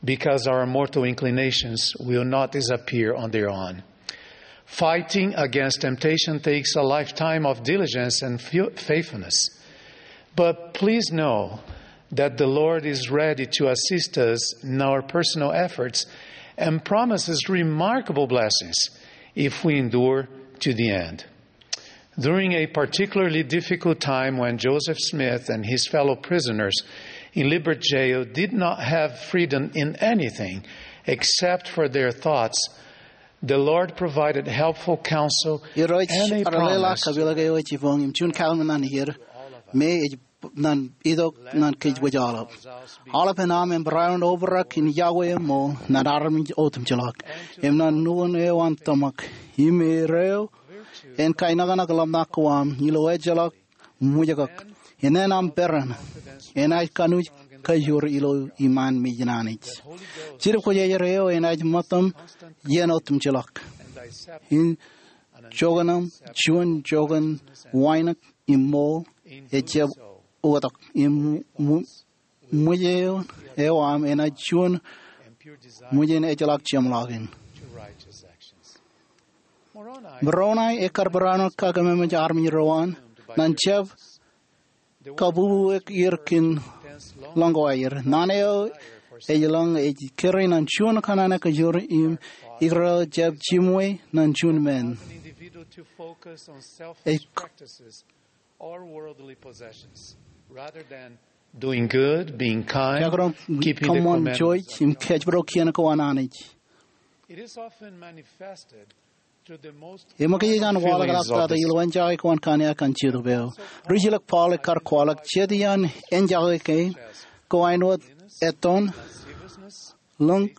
because our mortal inclinations will not disappear on their own. Fighting against temptation takes a lifetime of diligence and faithfulness. But please know that the Lord is ready to assist us in our personal efforts and promises remarkable blessings if we endure to the end. During a particularly difficult time when Joseph Smith and his fellow prisoners in Liberty Jail did not have freedom in anything except for their thoughts, the Lord provided helpful counsel and a promise. Irooj rej leḷọk kapeḷḷọk eo ej jipañ im juon kaḷmin ñan er, me ej ñan itok ñan kōj wōj aolep. Aolepen aṃ en barāinwōt obrak in yokwe eṃṃool ñan armej otemjeḷọk im ñan nukun eo an tōmak. Im er eo en kainōknōk ḷōmṇak ko aṃ ilo ejjeḷọk ṃwijkōk. Innem aṃ peran enaaj kanooj kajoor ilo iṃaan mejān Anij. Jetōb Kwōjarjar eo enaaj ṃōttam iien otemjeḷọk. In joñan aṃ juon joñan wānōk im ṃool ejjab oktak im ṃwij eo aṃ enaaj juon ṃwij in ejjeḷọk jeṃḷọkin. Moroni ekkar barāinwōt kakememej armej ro an ñan jab kabubuik er kōn lọñ ko aer. Naan eo ej lọñ ej kōrā ñan juon kōṇaan kajoor im ikōrā jab jiṃwe ñan juon men. Ej Doing good, being kind, keeping the commandments of God. Kōṃṃan jouj im kōjparok kien ko an Anij. Im kōj ej an waḷọkḷọk tata ilo enjake ko an kanniōk an Jetōb eo. Ri-jilōk Paul ekkar kwaḷọk jet iaan enjake kein ko āinwōt ettoon, lōñ,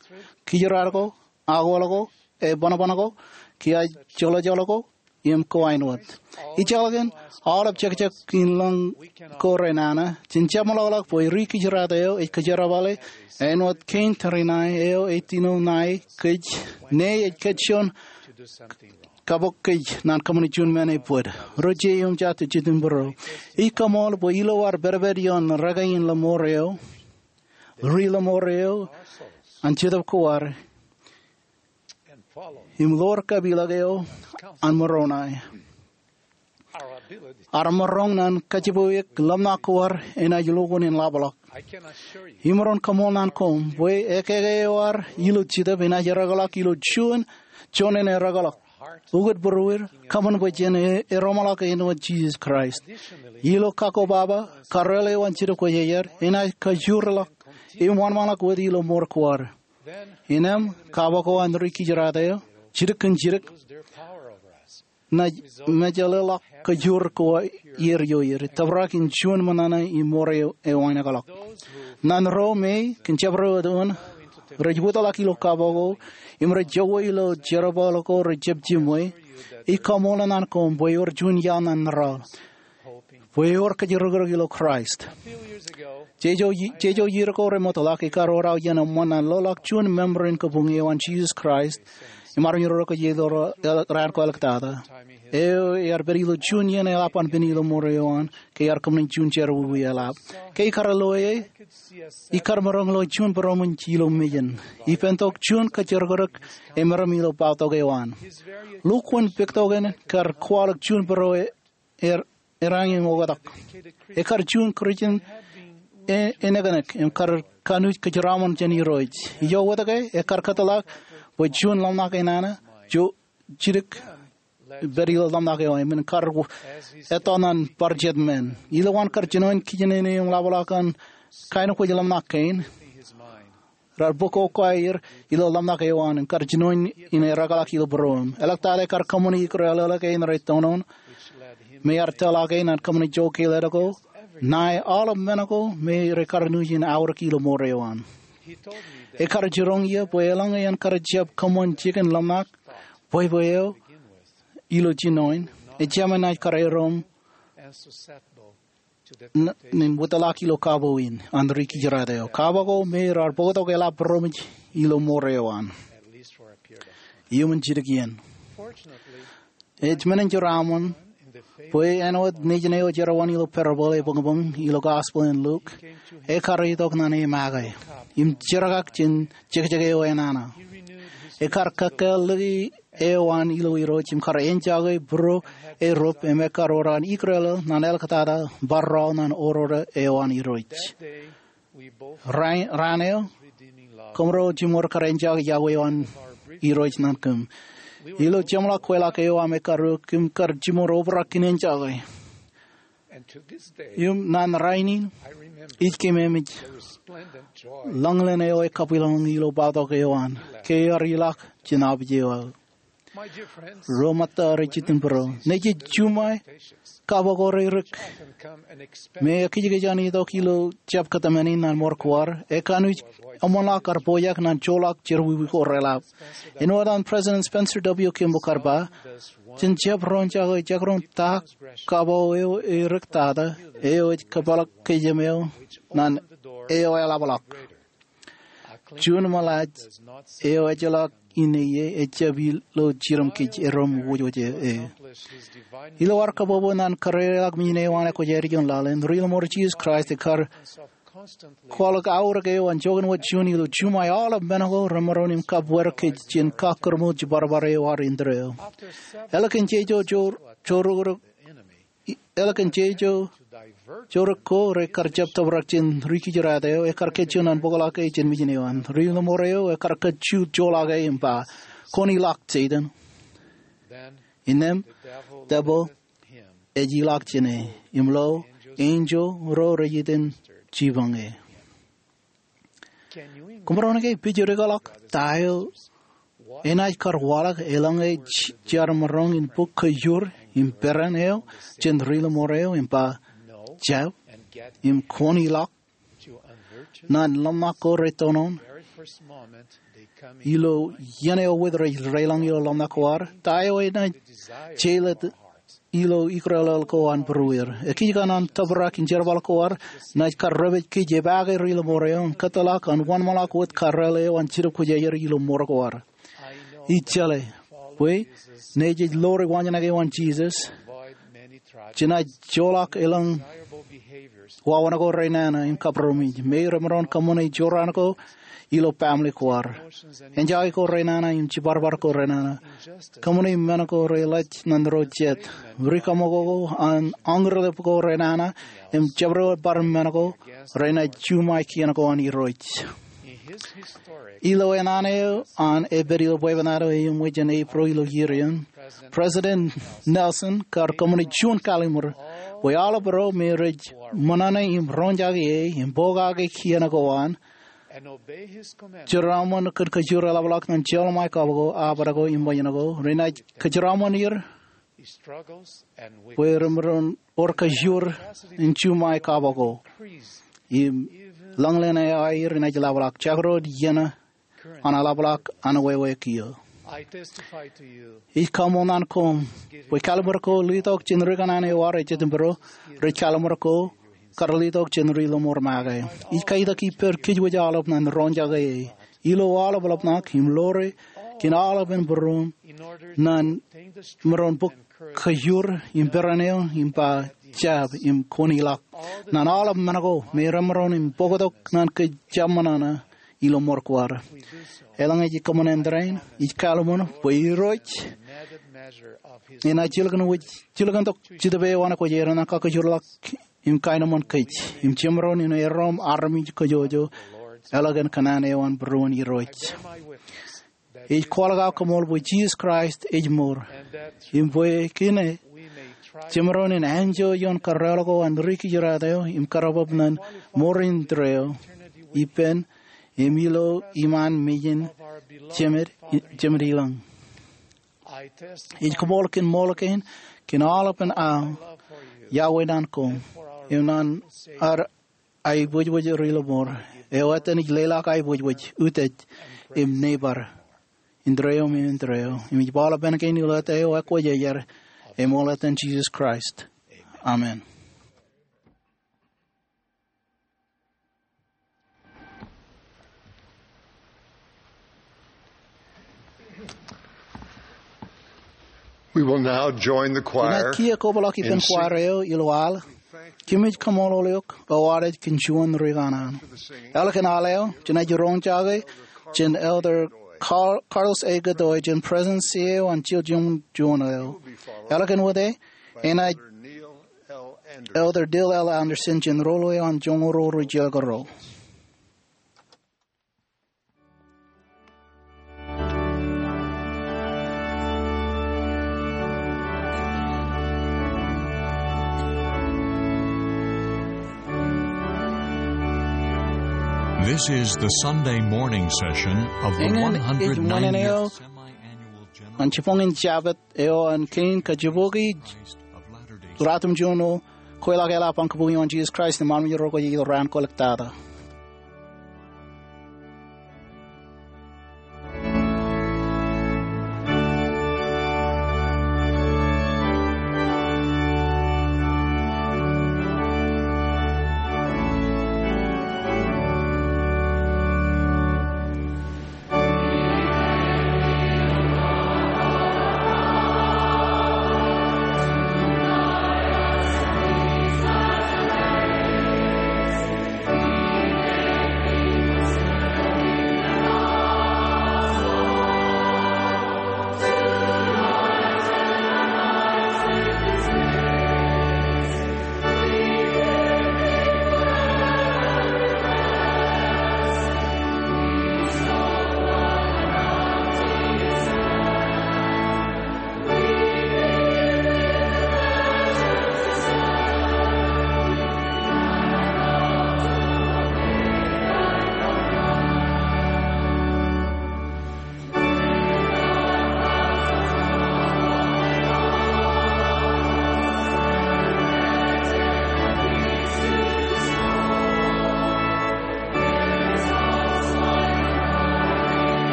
kijirad ko, akwōl ko, ebōnbōn ko, kiaaj joḷọjoḷ ko, im ko āinwōt. Ijjeḷọkin aolep jekjek in lọñ ko renana, jen jeṃḷọkḷọk bwe ri-kijirad eo ej kōjerbale āinwōt kein tōre ṇae eo ej tino ṇae kōj, ñe ej kōj juon kabok kōj ñan kōṃṃane juon men ebōd. Ro jeiū im jatū, jitūṃ būruō, ij kaṃool bwe ilo ad pedped ioon rōke in lọmọọr eo, ri-lọmọọr eo an Jetōb ko ad, im ḷoor kapeḷḷọk eo an Moroni, ad maroñ ñan kajjipwe eok ḷōmṇak ko ad enaaj lukkuun in ḷapḷọk. Imaroñ kaṃool ñan koṃ bwe ekeke eo ad ilo Jetōb enaaj erōkḷọk ilo juon, juon in erōkḷọk. Ukōt būruod, kōṃṃan bwe jen e-, eroṃḷọk āinwōt Jisōs Kraist. Ilo kakko baba, karreel eo an Jetōb Kwōjarjar enaaj kajoorḷọk im wōnṃaanḷọk wōt ilo mour ko ad. Innem, kabok ko an ri-kijirad eo, jidik kōn jidik, naaj mejeḷeḷọk kajoor ko aer ioer, tōprak in juon ṃōṇōṇō im mour eo ewānōkḷọk. Ñan ro me kōn jabdewōt eoon rej wōtḷọk ilo kabok ko im rej jokwe ilo jerbal ko rej jab jiṃwe, ij kaṃool ñan koṃ bwe ewōr juon iaḷ ñan ḷọk. bwe ewōr kōjrōkrōk ilo Kraist. Jeje, jeje iiō ko remootḷọk, ikar wōr aō iien eṃṃan an loḷọk juon member in kabuñ eo an Jisōs Kraist im armej ro kōj ilo raan ko eḷḷọk tata. Eo ear pād ilo juon iien eḷap an pen ilo mour eo an, ke ear kōṃṃane juon jerọwiwi eḷap. Ke ikar lo e, ikar maroñ lo juon būroṃōj ilo mejān. Ipeṇ tok juon kōjrōkrōk emaroñ ilo bōktok eo an. Lukkuun pektoken kar kwaḷọk juon bōro e er, er añin oktak. Ekar juon Kūrjin e, enōknōk, im kar kanooj kōjeraṃṃan jān Irooj. Ijo wōt ke, ekar kōtḷọk bwe juon ḷōmṇak enana, jo, jidik, pād ilo ḷōmṇak eo an, im kar etto ñan bar jet men. Ilowaan kar jinoin kijinen eo im ḷapḷọk an kain kwōj ḷōmṇak kein, raar bōk okwa er ilo ḷōmṇak eo an, im kar jinoin in ereḷọk ilo būroṃ. Eḷak tata ekar kōṃṃani ikrelel kein rej toṇoṇ, me ear tōlake ñan kōṃṃani jokeilel ko, ṇae aolep men ko me rej kar nuuj in aorōk ilo mour eo an. Ekar jiroñ ie bwe eḷaññe en kar jab kōṃṃan jikin ḷōmṇak, bwebwe eo, ilo jinoin, ejāmin naaj kar erom n-, nin wōtlọk ilo kabo in an ri kijirata eo. Kabo ko me raar bōktok eḷap būroṃōj ilo mour eo an, iuṃwin jidik iien. Ej men in jeraaṃṃan bwe āinwōt nejin eo ej erwin ilo parable ebōñbōñ ilo Gospel in Luke, ekar itok ñan e make im jerkak jān jekjek eo enana. Ekar kōkkāāl lōke eo an ilo Irooj im kar enjake būro erup im ekar wōr an ikrelel ñan eḷak tata bar rọọl ñan oror eo an Irooj. Raan, raan eo, kōmro jiṃor kar enjake yokwe eo an Irooj ñan kōm. Ilo jeṃḷọk kweilọk eo aṃ ekar uk, kōm kar jiṃor obrak in enjake. Im ñan rainin, ij keememej ḷōñlōñ eo ekabwilōñlōñ ilo bōktok eo an ke ear ilọk jān abij eo aō. Ro ṃōtta rej jitōnbōro, nejej juṃae kabo ko reirōk me ekijkij an itok ilo jab kōtmāne ñan mour ko ad, ekanooj eṃṃanḷọk kar pojak ñan joḷọk jerọwiwi ko reḷap. Āinwōt an President Spencer W. Kimball kar ba, jān jab roñjake jekdọọn ta kabo eo eirōk tata, eo ej kōpeḷḷọk kōjām eo ñan eo eḷapḷọk. Juon ṃōḷaaj eo ejjeḷọk inne ie ejjab ilo jidim kōj erom wōjwōj e. Ilo ad kōbōbō ñan kōrā ḷọk men eo an ekwōjarjar ioon laḷ in, Ri-lọmọọr Jisōs Kraist ekar kwaḷọk aorōk eo an joñan wōt juon ilo juṃae aolep men ko remaroñ im kabweer kōj jān kakkōrṃool jibarbare eo ad indeeo. Ālikin jeje, jor-, jorok, ālikin jeje, jorok ko rekar jab tōprak jān ri-kijirata eo, ekar kōjjien an bōkḷọk e jān mejān eo an. Ri-lọmọọr eo ekar kōjjien joḷọk e im ba, "Kwōn ilọk, Setan." Innām, debwil ej ilọk jān e, im lo, enjeḷ ro rej iten jipañ e. Kōmro naaj pejidikḷọk ta eo enaaj kar waḷọk eḷaññe j-, jar maroñ in bōk kōjur im peran eo jān ri-lọmọọr eo im ba, "Jab," im "Kwōn ilọk"? Ñan ḷōmṇak ko rej toṇoṇ, ilo iien eo wōt rej reilañ ilo ḷōmṇak ko ad, ta eo enaaj jeilōt ilo ikrelel ko an būrueir? Ekijjien an tōprak in jerbal ko ad naaj kar repej kōj epaake ri-lọmọọr eo im kōtḷọk an wōnṃaanḷọk wōt karreel eo an jidik kwōjarjar ilo mour ko ad. Ij jeḷā bwe nejej ḷoor waanjoñak eo an Jisōs jenaaj joḷọk eḷaññe wāween ko renana im kabūroṃōj me remaroñ kōṃṃane jorrāān ko ilo baaṃle ko ad, enjake ko renana im jibarbara ko renana, kōṃṃane men ko reḷap ñan ro jet, rikaṃakoko an añrōlep ko renana, im jabdewōt bar men ko renaaj juṃae kien ko an Irooj. Ilo ennaan eo an epād ilo bwebwenato eṃōj jān Epril ilo iien in, President Nelson kar kōṃṃane juon kallimur bwe aolep ro me rej ṃōṇōṇō im roñjake e im pokake kien ko an, jeraaṃṃan kōn kōjur eḷapḷọk ñan jeorḷọk ṃae kab ko, abṇōṇō ko im ṃōjṇo ko, renaaj kōjeraaṃṃan er bwe remaroñ wōr kōjur in juṃae kab ko im ḷōñlōñ eo aer enaaj ḷapḷọk, jekdọọn iien an eḷapḷọk an wāween kiiō. Ij kaṃṃoolol koṃ bwe kallim̧ur ko letok jān ri kōṇaan eo ad ej jet im bōro rej kallim̧ur ko kar letok jān ri lọmọọr make. Ij katak ippād kōjwōj aolep ñan roñjake e ilo aolep eḷapḷọk im ḷoore kōn aolepen būruōṃ ñan maroñ bōk kōjur im peran eo im ba jab im kwōn ilọk ñan aolep men ko me remaroñ im bōktok ñan kōj jab ṃōṇōṇō ilo ṃor ko ad. Eḷaññe ij kōṃṃan āindein, ij kallim̧ur bwe Irooj enaaj jilkintok jetōb eo an kwōj er ñan kakkōjorḷọk im kaenōṃṃan kōj im jemaroñ in erom armej kōjwōj eḷap kōn kōṇaan eo an būruon Irooj. Ij kwaḷọk aō koṃṃool bwe Jisōs Kraist ej mour im bwe kōn e jemaroñ in enjoy ioon kōrreoḷọk eo an ri kijirāt eo im kōrọbweb ñan mour in tōre eo ippān im ilo iṃaan mejān Jemād ilañ. Ij koṃṃool kōn ṃool kein kōn aolepen aō iọkwe ñan koṃ im ñan ad aebōjbōj ri lọmọọr eo etan ij leḷọk aebōjbōj, utiej im neighbor in tōre eo im in tōre eo. Im ij ba aolepān kein ilo eta eo ekwōj ej er, eṃool etan Jisōs Kraist, amen. We will now join the choir. Inaaj kiiō kobrak ippān choir eo ilo al. Kōmij kaṃṃoolol eok eo ad ej kōn juon ri kōṇaan. Eḷap kōn al eo, jenaaj roñjake jān Elder Carl, Carlos A. Godoy jān Presidency eo an Chilcom Juon eo. Eḷap kōn wōt e, enaaj Elder Dale L. Andersen jān roll eo an Joñoul Ruo ri Jilkinrol. This is the Sunday morning session of the Eñin ej ṃōṇōṇō eo an jibboñin Jabōt eo an kein kajibokwe ruatimjuon ro kweilọk eḷap an kabuñ ioon Jisōs Kraist im armej ro kwōj itok raan kwōlōktata.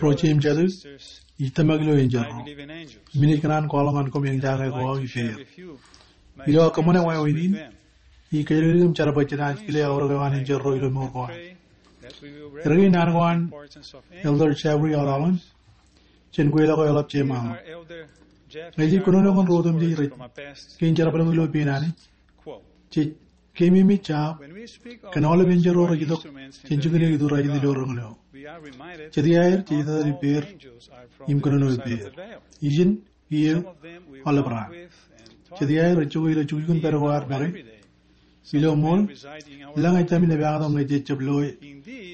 Ro jeiū im jatū, ij tōmak ilo enjeḷ ro. Im inaaj kōṇaan kwaḷọk ñan koṃ eñjake ko aō ippāer. Ilo aō kōṃṃane wāween in, ij kōjatdikdik im jerbal jenaaj kile aorōk eo an enjeḷ ro ilo mour ko aer. Erkein naan ko an Elder Jeffrey R. Holland, jān kweilọk eo eḷap Jemān. Ñe jej kōnono kōn ro otemjej rej kein jerbal ilo pein Anij, jej keememej jab kōn aolep enjeḷ ro rej itok jān jikin eo iturrajidik ilo reñōl eo. Jet iaer jej etetal ippāer im kōnono ippāer. Ijin, kiiō, aolep raan. Jet iaer rej jokwe ilo jukjukun pād ko ad make. Ilo ṃool, lōñ ej tōmak in epaaktok ñe jej jab loe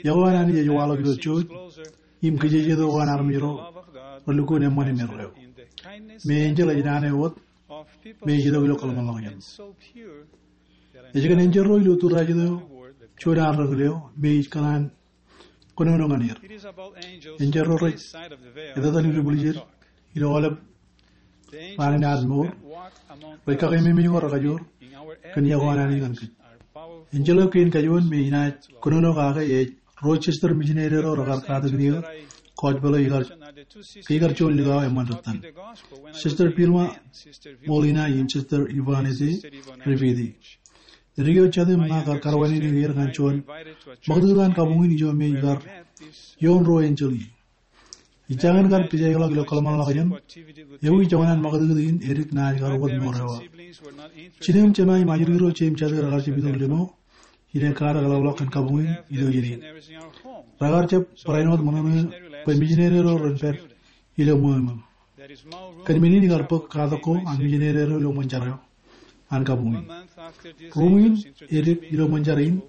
iọkwe an Anij ej waḷọk ilo jooj im kijejeto ko an armej ro relukkuun eṃṃan im erreo. Im enjeḷ ej naan eo wōt me ej itok ilo kōḷmānḷọkjeṇ. Ej kōn enjeḷ ro ilo iturrajidik eo, juon an reñōl eo me ij kōṇaan kōnono ñan er. Enjeḷ ro rej etetal ilubwiljed ilo aolep raan in ad mour, rej kakeememej ko rekajoor kōn iọkwe an Anij ñan kōj. Enjeḷ eo kein kajuon me inaaj kōnono kake ej ruo sister mijineri ro rekar katakin eō kōjpeḷ eo ikar, ke ikar juon likao eṃṃan rūttan. Sister Pilma Molina im Sister Ivanete Riviti. Edik eo jatū im ṇa kar karuwainene er ñan juon ṃakūtkūt an kabuñ in ijo me ikar ioon ruo enjeḷ in. Ij jañin kar pijaikḷọk ilo kōḷmānḷọkjeṇ, ewi joñan an ṃakūtkūt in edik naaj kar ukōt mour eo aō. Jinō im jema im ajri ro jeiū im jatū rekar jab itok limo in ekkatak eḷapḷọk kōn kabuñ in ilo iien in. Rekar jab barāinwōt ṃōṇōṇō bwe mijineri ro ren pād ilo ṃweo ṃōṃ. Kōn men in ikar bōk katak ko an mijineri ro ilo ṃōn jar eo an kabuñ in. Ruṃwin edik ilo ṃōn jar in,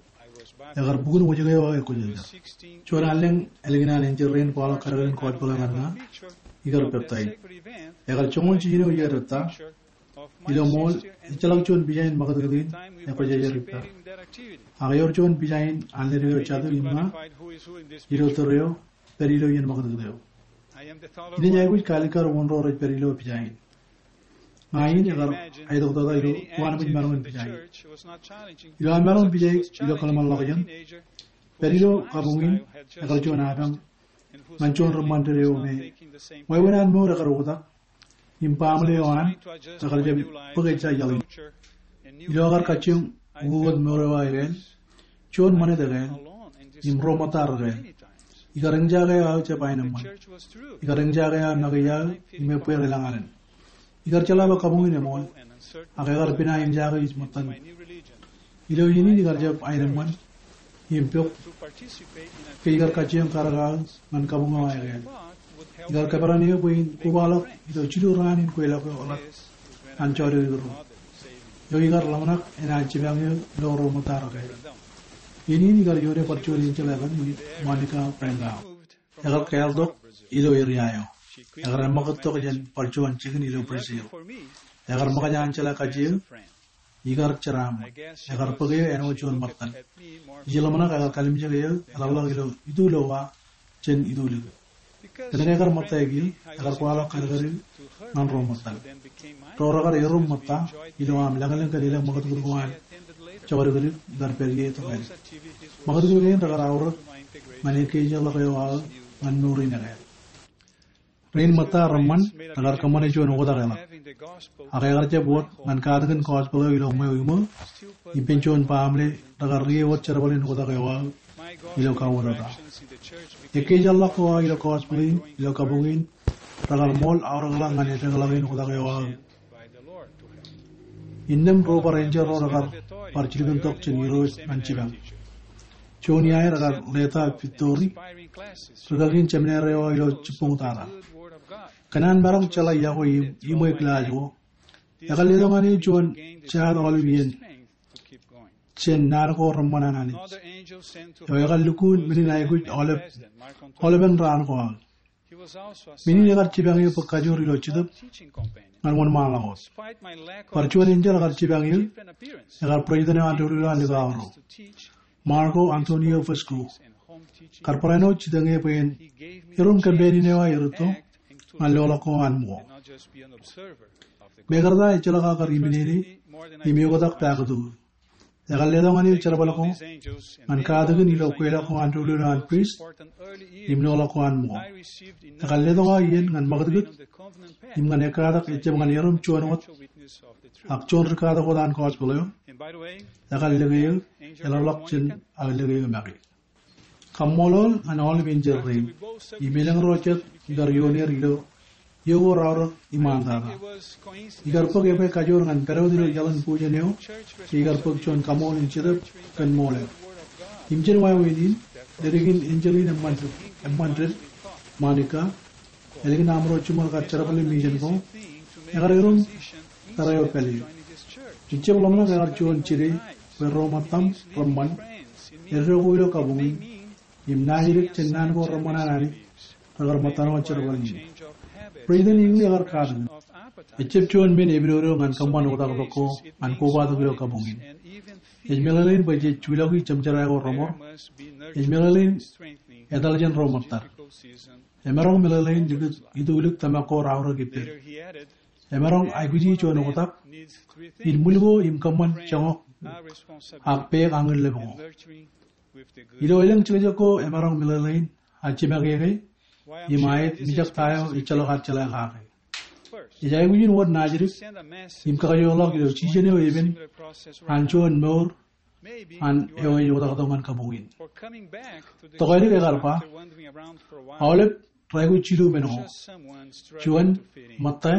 ekar bukun wōjke eo aō ekwōjarjar. Juon allōñ ālikin an enjeḷ rein kwaḷọk kadkadin kōjpeḷ eo ñan ña, ikar peptaij. Ekar joñoul jiljino iiō ettā. Ilo ṃool, ejjeḷọk juon pija in ṃakūtkūt in ekwōjarjar ippa. Ak ewōr juon pija in an ledik eo jatū im ṇa ilo tōre eo pād ilo iien ṃakūtkūt eo. Inaaj aikuj kaalikkar wōn ro rej pād ilo pija in. Ña in ekar aetok tata ilo uwaanbwij maroñ in pija in. Ilo aō maroñ in pija ilo kōḷmānḷọkjeṇ, pād ilo kabuñ in ekar juon apañ ñan juon reṃṃan ded eo me wāween an mour ekar oktak im baaṃle eo an rekar jab bōk ejja iaḷ in. Ilo aō kar kajjioñ ukokōt mour eo aō ekāāl, juon ṃanit ekāāl, im ro ṃōtta rekāāl, ikar eñjake aō jab aenōṃṃan. Ikar eñjake aō make iaō im ebbeer elōñ alen. Ikar jeḷā bwe kabuñ in eṃool, ak ekar pina eñjake ij ṃōttan. Ilo iien in ikar jab aenōṃṃan im pok ke ikar kajjioñ karōk aō ñan kabuñ eo aō ekāāl. Ikar kōperan eō bwe in kobaḷọk ilo jilu raan in kweilọk eo eḷap an jọọde ro, eo ikar ḷōmṇak enaaj jipañ eō ilo ro ṃōtta rekāāl. Iien in ikar ioone bar juon enjeḷ eo an Monica Rangel. Ekar kāāltok ilo eria eo. Ekar eṃṃakūt tok jān bar juon jikin ilo Brazil. Ekar ṃōkaj an jeḷā kajjioñ, ikar jeraaṃṃan. Ekar bōk eō āinwōt juon ṃōttan. Ij ḷōmṇak ekar kalimjek eō eḷapḷọk ilo itulowa jān itulik. Kōnke ekar ṃōttaik eō, ekar kwaḷọk kadkad eō ñan ro ṃōttan. Ro rekar erom ṃōtta ilo aṃ lañlōñ kōn elōñ ṃakūtkūt ko an jokdikdik ikar pād ie tok āne. Ṃakūtkūt kein rekar aorōk ñan ekkejjeḷọk eo aō ñan mour in ekāāl. Rein ṃōtta reṃṃan rekar kōṃṃane juon oktak eḷap. Ak ekar jab wōt ñan katakin gospel eo ilo ṃweo iṃō, ippān juon baaṃle rekar rie wōt jerbal in oktak eo aō ilo kauwōtata. Ekkejjeḷọk ko aō ilo gospel in ilo kabuñ in rekar ṃool aorōkḷọk ñan eddekḷọk in oktak eo aō. Innām ro bar enjeḷ ro rekar bar jilkintok jān Irooj ñan jipañ. Juon iaer ekar Leta Victory, rūkaki in jeminare eo aō ilo jibboñ tata. Kōn an maroñ jeḷā iọkwe im iṃwe kilaaj ko, ekar letok ñan eō juon jaat aolep iien jān naan ko reṃṃan an Anij, eo ekar lukkuun men in aikuj aolep, aolepen raan ko aō. Men in ekar jipañ eō bōk kajoor ilo Jetōb ñan wōnṃaanḷọk wōt. Bar juon enjeḷ ekar jipañ eō, ekar president eo an doulul eo an likao ro. Marco Antonio Vesco, kar barāinwōt jitōñ eō bwe en erom kōmpenin eo aō erūtto ñan loḷọk ko an ṃōko. Mekarta ejjeḷọk aō kar iminene im eoktak pakūtkūt. Ekar letok ñan eō jerbal ko ñan katakin ilo kweilọk ko an doulul eo an priest im loḷọk ko an ṃool. Ekar letok aō iien ñan ṃakūtkūt im ñan ekkatak ejjab ñan erom juon wōt ak juon ri katak wōt an gospel eo. Ekar lōke eō, eḷapḷọk jān aō lōke eō make. Kaṃṃoolol ñan aolep enjeḷ rein im elōñ ro jet ikar ioon er ilo iiō ko raorōk iṃaan tata. Ikar bōk ebwe kajoor ñan pād wōt ilo iaḷ in bujen eo, ke ikar bōk juon kaṃool in Jetōb kōn ṃool eo. Im jān wāween in, ālikin enjeḷ in eṃṃan, eṃṃan ded, Monica, ālikin aṃro jiṃor kar jerbal im ijin ko, ekar erom tōre eo pālle. Ejjab ḷōmṇak ekar juon jide bwe ro ṃōttaṃ reṃṃan eddo ko ilo kabuñ in, im naajdik jān naan ko reṃṃan an Anij rekar ṃōttan wōt jerbal in. Ri-tōl in ekar katakin. Ejjab juon men epidodo ñan kōṃṃan oktaktok ko ñan kobatok ilo kabuñ in. Ej meḷeḷein bwe jej juḷọki jemjerā ko reṃor. Ej meḷeḷein etal jān ro ṃōttad. Emaroñ meḷeḷein likūt itulik tōmak ko raorōk ippād. Emaroñ aikuji juon oktak in ṃwil ko im kōṃṃan joñak ak peak añin lep ko. Ilo elōñ jekjek ko emaroñ meḷeḷein a jimakeke im aet mijak ta eo ejjeḷọk ad jeḷā kake. Ej aikuj in wōt naajdik im kakajoorḷọk ilo jijen eo epen an juon mour an eo ej oktaktok ñan kabuñ in. Tokālik ekar ba, aolep rej aikuj jilu men ko. Juon ṃōtta,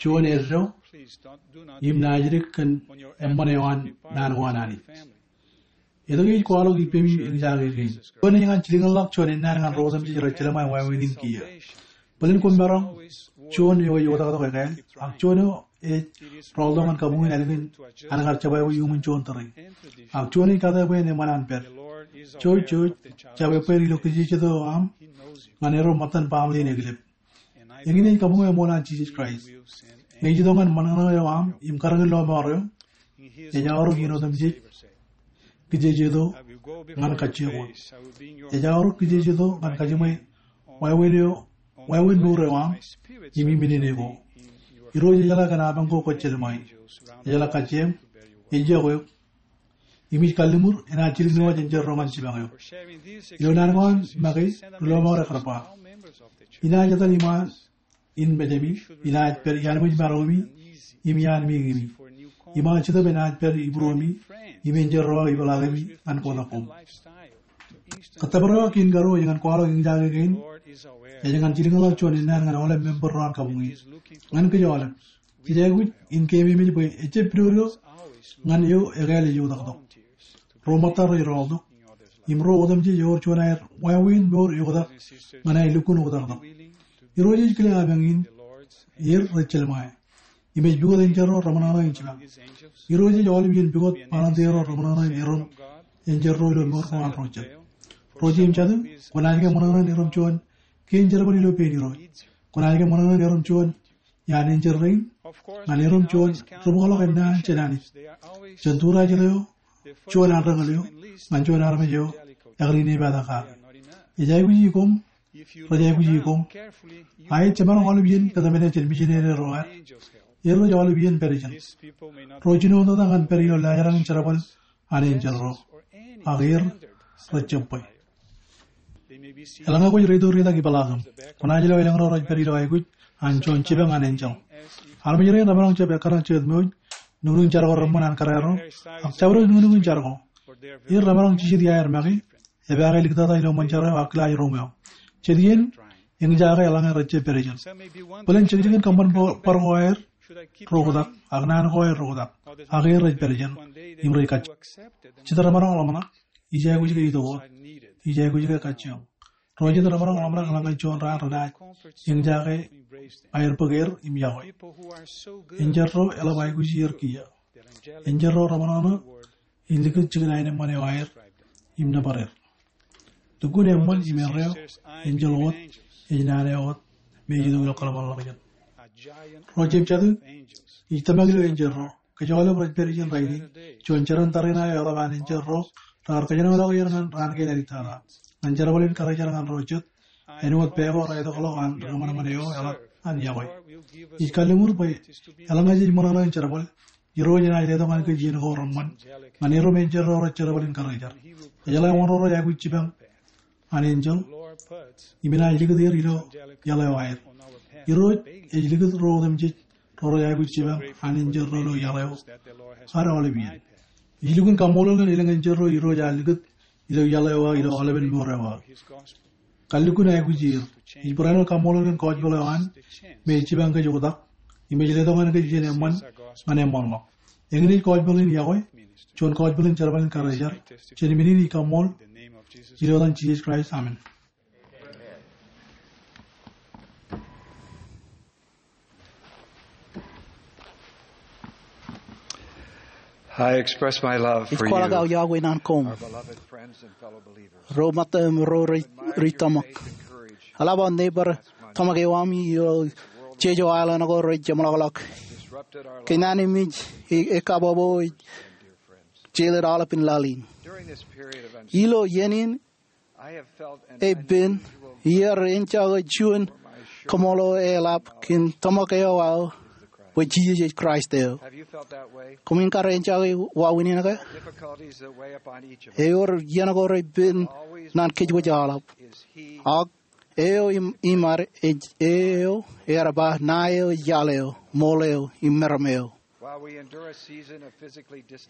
juon eddo, im naajdik kōn eṃṃan eo an naan ko an Anij. Etke ij kwaḷọk ippemi eñjake kein? Juon ej ñan jilkinḷọk juon ennaan ñan ro otemjej rej jelṃae wāween in kiiō. Bōlen koṃ maroñ juon eo ej oktaktok ekāāl, ak juon eo ej rọọltok ñan kabuñ in ālikin an kar jebwābwe iuṃwin juon tōre. Ak juon ej kate bwe en eṃṃan an pād. Jouj, jouj, jab ebbeer ilo kijejeto eo aṃ ñan erom ṃōttan baaṃle in eklep. Eñin ej kabuñ eo eṃool an Jisōs Kraist. Ñe ej itok ñan ṃōṇōṇō eo aṃ im karōkin lọmọọr eo, ej aorōk iien otemjej kijejeto ñan kajjioñ wōt. Ej aorōk kijejeto ñan kajiṃwe wāween eo, wāween mour eo aṃ im imminene ko. Irooj ejeḷā kōn apañ ko kwōj jelṃae. Ejeḷā kajjieṃ, ej iọkwe eok. Im ij kalliṃur enaaj jilkinwōj enjeḷ ro ñan jipañ eok. Ilo naan ko an make, ri lọmọọr ekar ba, inaaj etal iṃaan in mejemi, inaaj pād iaan ṃōj maromi im iaan meñemi. Im aō Jetōb enaaj pād ibūromi im enjeḷ ro aō ipeḷaakemi ñan kotak koṃ. Kōttōpar eo kein karuo ej ñan kwaḷọk eñjake kein, ej ñan jilkinḷọk juon ennaan ñan aolep member ro an kabuñ in. Ñan kōj aolep, jej aikuj in keememej bwe ejjab pidodo ñan eo ekāāl ej oktaktok. Ro ṃōttad rej rọọltok im ro otemjej ewōr juon aer wāween mour eoktak ñan aer lukkuun oktaktok. Irooj ej kile apañ in er rej jelṃae im ej pukot enjeḷ ro reṃōṇōṇō in jipañ. Irooj ej aolep iien pukot volunteer ro reṃōṇōṇō in erom enjeḷ ro ilo mour ko an ro jet. Ro jeiū im jatū, kwōnaaj ke ṃōṇōṇō in erom juon kein jerbal ilo pein Irooj? Kwōnaaj ke ṃōṇōṇō in erom juon iaan enjeḷ rein ñan erom juon ri-bōkḷọk ennaan jān Anij, jān tūrajin eo, juon anrōñōl eo ñan juon armej eo ekar inepata kake? Ej aikuji koṃ, rej aikuji koṃ. A ej jemaroñ aolep iien kōtmāne jān mijinere ro ad, er rej aolep iien pād ijin. Ro jinoin tata ñan pād ilo laajrak in jerbal an enjeḷ ro, ak er rej jab bwe. Eḷaññe kwōj reitok ritak ipeḷaakim, kwōnaaj lo elōñ ro rej pād ilo aikuj an juon jipañ an enjeḷ. Armej rein remaroñ jab ekkar ñan jekōt ṃooj, nuknuk in jar ko reṃṃan an kōrā ro, ak jabdewōt nuknuk in jar ko. Er remaroñ jijet iaer make, epaake liktata ilo ṃōn jar eo ak kilaaj ruṃweo. Jet iien, eñjake eḷaññe rej jab pād ijin. Bōlen jekjek in kōṃṃan bar ko aer ro oktak, ak naan ko aer ro oktak, ak er rej pād ijin, im rej kajjioñ. Jet remaroñ ḷōmṇak, ij aikuj ke itok wōt, ij aikuj ke kajjioñ. Ro jet remaroñ ḷōmṇak eḷaññe juon raan renaaj eñjake aer bōk er im iọkwe. Enjeḷ ro eḷap aikuj er kiiō. Enjeḷ ro reṃōṇōṇō in likūt jikin aenōṃṃan eo aer im nōbar er. Lukkuun eṃṃan im erreo, enjeḷ wōt ej naan eo wōt me ej itok ilo kōḷmānḷọkjeṇ. Ro jeiū im jatū, ij tōmak ilo enjeḷ ro. Kōj aolep rej pād ijin rainin, juon jeran tariṇae eo eḷap an enjeḷ ro rekar kōjenolọk er ñan raan kein āliktata. Ñan jerbal in karijer ñan ro jet, āinwōt pā ko reitokḷọk an ri kōṃanṃan eo eḷap an iọkwe. Ij kalliṃur bwe eḷaññe jej ṃōṇōṇō in jerbal, Irooj enaaj letok ñan kōj iien ko reṃṃan ñan erom enjeḷ ro rej jerbal in karijer. Ejeḷā wōn ro rej aikuj jipañ an enjeḷ im enaaj likūt er ilo iaḷ eo aer. Irooj ej likūt ro otemjej ro rej aikuj jipañ an enjeḷ ro ilo iaḷ eo ad aolep iien. Ij lukkuun kaṃṃoolol kōn elōñ enjeḷ ro Irooj ear likūt ilo iaḷ eo aō ilo aolepen mour eo aō. Kar lukkuun aikuj er. Ij barāinwōt kaṃṃoolol kōn gospel eo an me ej jipañ kōj oktak im ej letok ñan kōj iien eṃṃan ñan eṃṃanḷọk. Eñin ej gospel in yokwe, juon gospel in jerbal in karijer. Jān men in ij kaṃṃool ilo etan Jisōs Kraist, amen. I express my love for you, our beloved friends and fellow believers. Ij kwaḷọk aō iọkwe naan koṃ, ro ṃōttan im ro ri tōmak. Eḷap aō neighbor tōmak eo ami ilo jeje aolep ko rej jeṃḷọkḷọk. Kōnnaan eṃōj ekabbokbok ej jelōt aolepān laḷ in. Ilo iien in epen, iar enjake juon kaṃṃoolol eḷap kōn tōmak eo aō bwe Jisōs ej Kraist eo. Koṃwin kar enjake wāween in ke? Ewōr iien ko repen naan kōjwōj aolep. Ak eo im, im ad ej eo ear ba, ṇae eo, iaḷ eo, ṃool eo, im meram eo.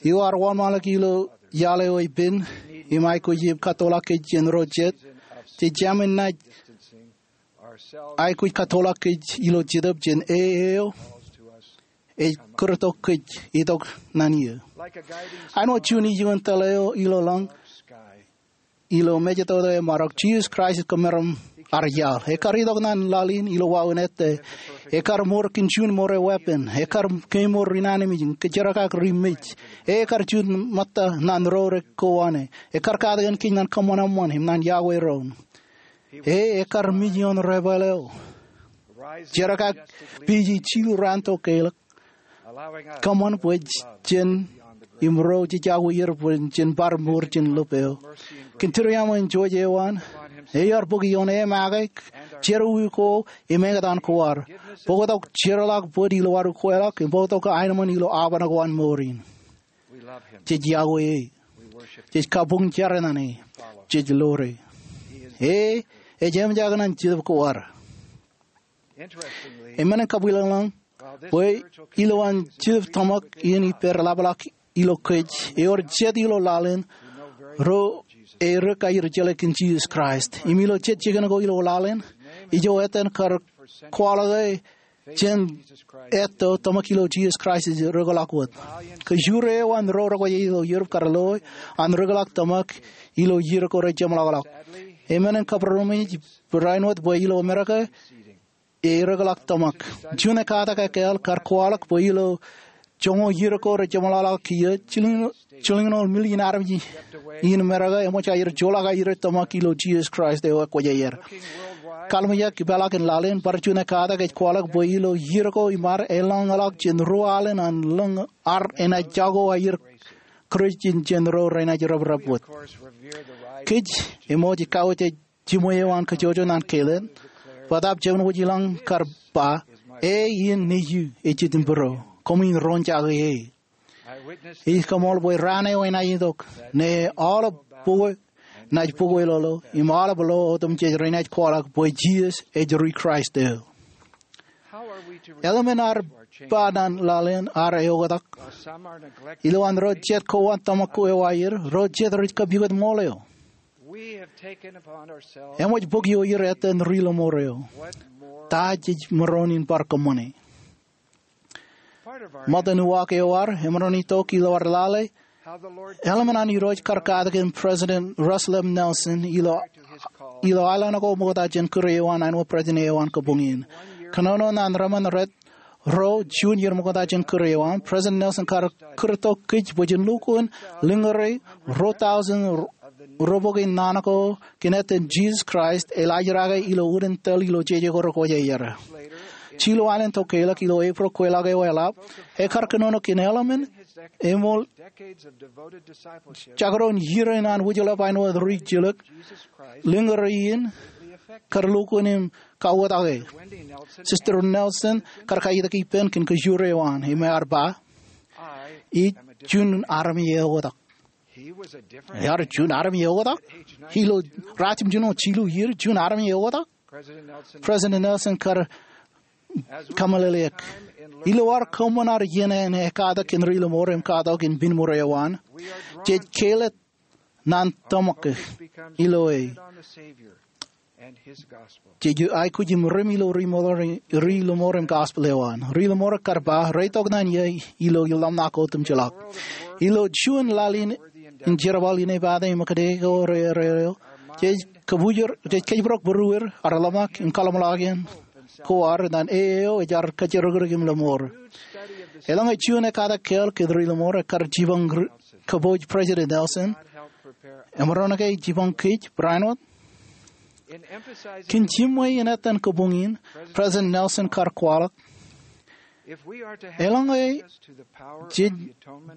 Eo ad wōnṃaanḷọk ilo iaḷ eo epen im aikuj im kattoḷọk kōj jān ro jet, jej jāmin naaj aikuj kattoḷọk kōj ilo Jetōb jān E eo ej kūrtok kōj itok naan eō. Āinwōt juon ijoon tōl eo ilo lañ, ilo mejatoto emaroñ, Jisōs Kraist ej kōmeram ad iaḷ. Ekar itok naan laḷ in ilo wāween ettā. Ekar mour kōn juon mour eo weeppān. Ekar kemour inaanmej im kōjerkak ri mej. Ekar juon ṃōtta naan ro rej kowaan e. Ekar katakin kōj naan kōṃanṃan im naan yokwe doon. E, ekar mej ioon debwāāl eo. Jerkak pije jilu raan tokālik. Kōṃṃan bwe jen im ro jej yokwe er bwe jen bar mour jān lōb eo. Kōn tūriaṃo in jouj eo an, ear bōk ioon e make, jerọwiwi ko im eñtaan ko ad. Bōktok jeorḷọk bōd ilo ad ukweḷọk, im bōktok aenōṃṃan ilo aoban ko an mour in. Jej yokwe e. Jej kabuñ jar naan e. Jej ḷoor e. E ej eṃōjak naan Jetōb ko ad. Eṃṃan in kabwilōñlōñ bwe ilowaan Jetōb tōmak in ippād ḷapḷọk ilo kōj, ewōr jet ilo laḷ in ro erik aer jeḷā kōn Jisōs Kraist. Im ilo jet jikin ko ilo laḷ in, ijo etan kar kwaḷọk e jān etto tōmak ilo Jisōs Kraist ej rūkḷọk wōt. Kōjro eo an ro rekwōj ilo Europe kar loe an rūkḷọk tōmak ilo iiō ko rej jeṃḷọkḷọk. Eṃṃan in kabbūroṃōj barāinwōt bwe ilo Amerika e rūkḷọk tōmak. Juon ekkatak ekkāāl kar kwaḷọk bwe ilo joñoul iiō ko rej jeṃḷọkḷọk kiiō, jilñoul, jilñoul million armej in Amerika eṃōj aer joḷọk aer tōmak ilo Jisōs Kraist eo ekwōj aer. Kallimjek ipeḷaakin laḷ in, bar juon ekkatak ej kwaḷọk bwe ilo iiō ko im ad elōñḷọk jān ruo alen an lōñ ad enaaj jako aer kūrjin jān ro renaaj reprep wōt. Kōj eṃōj kauj jiṃwe eo an kōjwōj naan keilōñ, bōtaab jemān wōj ilañ kar ba, e in nejū ej Jetōb in būro, koṃwin roñjake e. Ij kaṃool bwe raan eo enaaj itok, ñe aolep bukwe naaj bukwe ḷọk, im aolep lo otemjej renaaj kwaḷọk bwe Jisōs ej ri Kraist eo. Eḷmen ad ba naan laḷ in ad eoktak. Ilowaan ro jet kowaan tōmak eo aer, ro jet rej kapukot ṃool eo. Eṃōj bōk ioer etan ri lọmọọr eo. Ta jej maroñ in bar kōṃṃane? Ṃōttan uwaak eo ad emaroñ in itok ilo ad lale, eḷmen an Irooj kar katakin President Russell M. Nelson ilo, ilo aelōñ ko ṃokta jān kūr eo an āinwōt President eo an kabuñ in. Kōnono naan rōṃōn rej ro juon iiō ṃokta jān kūr eo an, President Nelson kar kūrtok kōj bwe jen lukkuun lōñōre ruo tọujin ro bok in naan ko kōn etan Jisōs Kraist elaajrake ilo unin tōl ilo jeje ko rekwōj aer. Jilu alen tokālik ilo April kweilọk eo eḷap, ekar kōnono kōn eḷmen eṃool jekdọọn iiō in an wūjḷọk āinwōt ri jilōk, lōñōre in kar lukkuun im kauwōtake. Sister Nelson kar kaitok ippān kōn kōjro eo an im ear ba, Ij juon armej eoktak. Ear juon armej eoktak. Ilo ratimjuon jilu iiō, juon armej eoktak. President Nelson kar kōmeḷeḷeik. Ilo ad kōṃṃan ad iien in ekatak in ri-lọmọọr im katak in pinemour eo an, jej kāālōt ñan tōmak ilo e. Jej aikuj im rim ilo ri-lọmọọr, ri-lọmọọr im gospel eo an. Ri-lọmọọr kar ba, reitok ñan ie ilo ḷōmṇak otemjeḷọk. Ilo juon laḷ in jerbal inepata im kōtke ko rereo, jej kōbwilōñ, jej kōjparok būrueir, ad ḷōmṇak im kaḷōmṇak in ko ad ñan e eo ear kōjparok im lọmọọr. Eḷaññe juon ekatak kāāl kōn ri-lọmọọr ekar jipañ ri-, kōpooj President Nelson, emaroñ ke jipañ kōj barāinwōt? Kōn jiṃwe in etan kabuñ in, President Nelson kar kwaḷọk, eḷaññe jej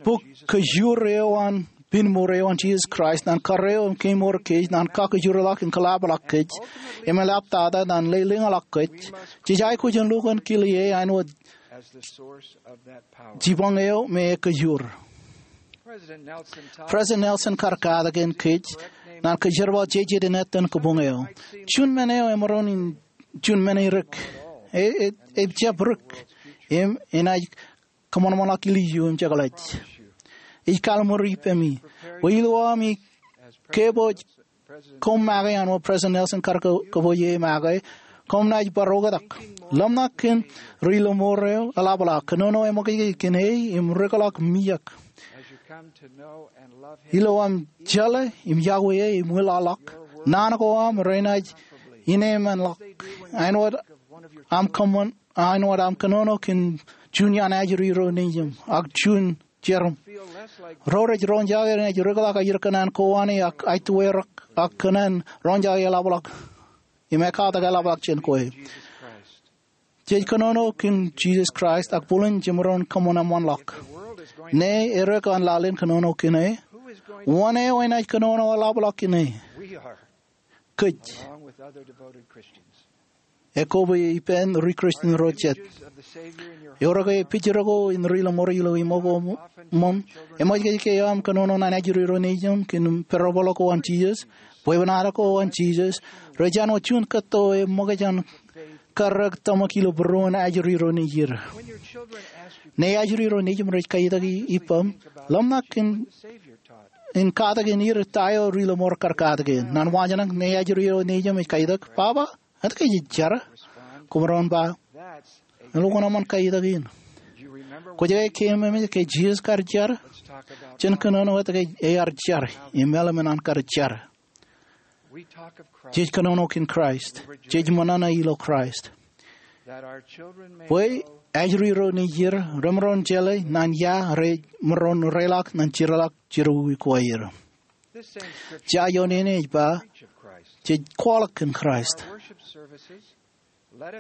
bōk kajoor eo an pinemour eo an Jisōs Kraist ñan kōrā eo im kemour kōj ñan kakajoorḷọk im kōḷapḷọk kōj im eḷaptata ñan lelōñḷọk kōj, jej aikuj in lukkuun kile e āinwōt jipañ eo me kajoor. President Nelson kar katak in kōj ñan kajerbal jejet in etan kabuñ eo. Juon men eo emaroñ in juon men eo erik. E, e, ejjab rik. Im enaaj kōṃanṃanḷọk ilju im jekḷaj. Ij kalimur ippemi bwe ilo ami kōpooj koṃ make āinwōt President Nelson kar kō-, kōpooj e make, koṃ naaj bar oktak. Ḷōmṇak kōn ri-lọmọọr eo eḷapḷọk. Kōnono eṃōkaj kōn e im rikḷọk mijak. Ilo aṃ jeḷā im iọkwe e im wūlọkḷọk, naan ko aṃ renaaj inemenḷọk āinwōt aṃ kōṃṃan, āinwōt aṃ kōnono kōn juon iaan ajri ro nejiṃ ak juon jerum. Ro rej roñjake renaaj rikḷọk ajri kōṇaan kowaan e ak aetwerak ak kōṇaan roñjake eḷapḷọk im ekatak eḷapḷọk jān kwe. Jej kōnono kōn Jisōs Kraist ak bōlen jemaroñ kōṃanṃanḷọk. Ñe erik an laḷ in kōnono kōn e, wōn eo enaaj kōnono eḷapḷọk kōn e? Kōj. Ekobwe ippān ri-Christian ro jet. Eor ke pijero ko in ri-lọmọọr ilo iṃō ko ṃōṃ? Eṃōj ke aṃ kōnono ñan ajri ro nejiṃ kōn parable ko an Jisōs, bwebwenato ko an Jisōs, rej āinwōt juon kōtto eṃōkaj an karreoik tōmak ilo būruon ajri ro nejier. Ñe ajri ro nejiṃ rej kaitōk ippaṃ, ḷōmṇak in, in katak in er ta eo ri-lọmọọr kar katak in. Ñan wōnṃaantak, ñe ajri ro nejiṃ ej kaitōk, "Baba, etke ij jar?" Koṃ maroñ ba, "Elukkuun eṃṃan kaitōk in." Kwōj ke keememej ke Jisōs kar jar? Jen kōnono etke ear jar im eḷmen an kar jar. Jej kōnono kōn Kraist. Jej ṃōṇōṇō ilo Kraist. Bwe ajri ro nejier remaroñ jeḷā ñan ia remaroñ reḷọk ñan jeorḷọk jerọwiwi ko aer. Jea ioon in ej ba, jej kwaḷọk kōn Kraist.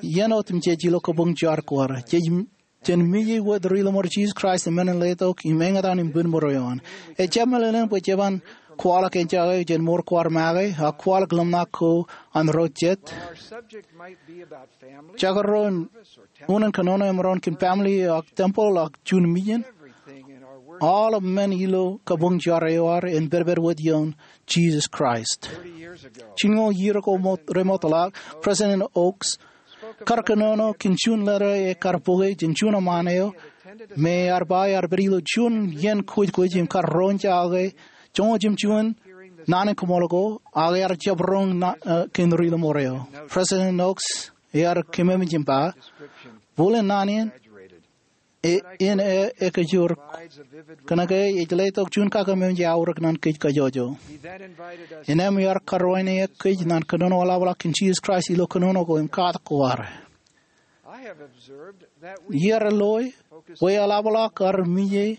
Iien otemjej ilo kabuñ jar ko ad, jej, jen mije wōt ri-lọmọọr Jisōs Kraist im men in letok im eñtaan im pinemour eo an. Ejjab meḷeḷein bwe jeban kwaḷọk enjake jān mour ko ad make, ak kwaḷọk ḷōmṇak ko an ro jet. Jekdọọn unin kōnono emaroñ kōn family ak temple ak juon mission. Aolep men ilo kabuñ jar eo ad en pedped wōt ioon Jisōs Kraist. Jilñoul iiō ko remootḷọk, President Oaks kar kōnono kōn juon leta ekar bōke jān juon eṃṃaan eo me ear ba ear pād ilo juon iien kwōjkwōj im kar roñjake joñoul jimjuon naan in kōṃṃool ko, ak ear jab roñ na, eh, kōn ri-lọmọọr eo. President Oaks ear kememej im ba, bōlen naan in, e, in e, ekajoor. Kōnke ej letok juon kakememej eaorōk ñan kōj kajjojo. Innām ear karuwaineke kōj ñan kōnono eḷapḷọk kōn Jisōs Kraist ilo kōnono ko im katak ko ad. Iar loi bwe eḷapḷọk ad mije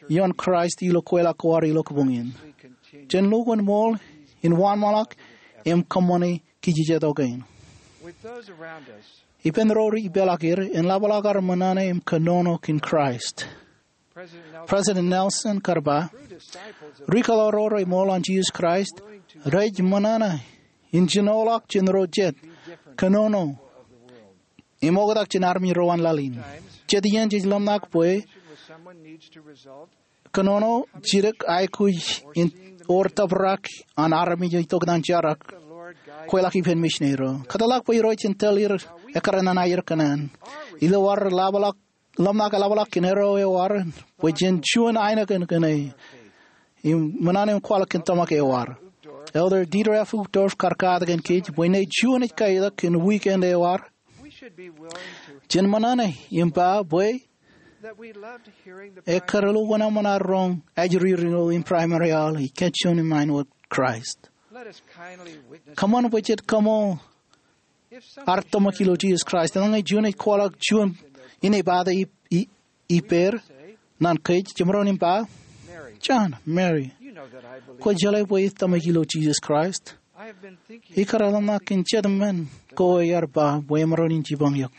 ioon Kraist ilo kweilọk ko ad ilo kabuñ in. Jen lukkuun ṃool in wōnṃaanḷọk im kōṃṃane kijejetok kein. Ippān ro rej ipeḷaakier, en ḷapḷọk ad ṃōṇōṇō im kōnono kōn Kraist. President Nelson kar ba, ri-kōḷaorro reṃool an Jisōs Kraist rej ṃōṇōṇō in jinoḷọk jān ro jet, kōnono im oktak jān armej ro an laḷ in. Jet iien jej ḷōmṇak bwe kōnono jidik aikuj in wōr tōprak an armej eo itok ñan jar ak kweilọk ippān misineri ro. Kōtḷọk bwe Irooj en tōl er ekkar ñan aer kōṇaan. Ilo ad ḷōmṇak eḷapḷọk kōn erreo eo ad, bwe jen juon ainikien kōn e im ṃōṇōṇō im kwaḷọk kōn tōmak eo ad. Elder Dieter F. Uchtdorf kar katak kōn kōj bwe ṇe juon ej kaetok kōn weekend eo ad, jen ṃōṇōṇō im ba bwe ekkar ilo wōnṃaanḷọk roñ ajri ro in primary aḷ ij kajjioñ im āinwōt Kraist. Kōṃṃan bwe jen kaṃṃool ad tōmak ilo Jisōs Kraist. Eḷaññe juon ej kwaḷọk juon inepata ippāer ñan kōj, jemaroñ in ba, John, Mary, kwōj jeḷā bwe ij tōmak ilo Jisōs Kraist. Ikar ḷōmṇak kōn jet men ko aer ba bwe emaroñ in jipañ eok.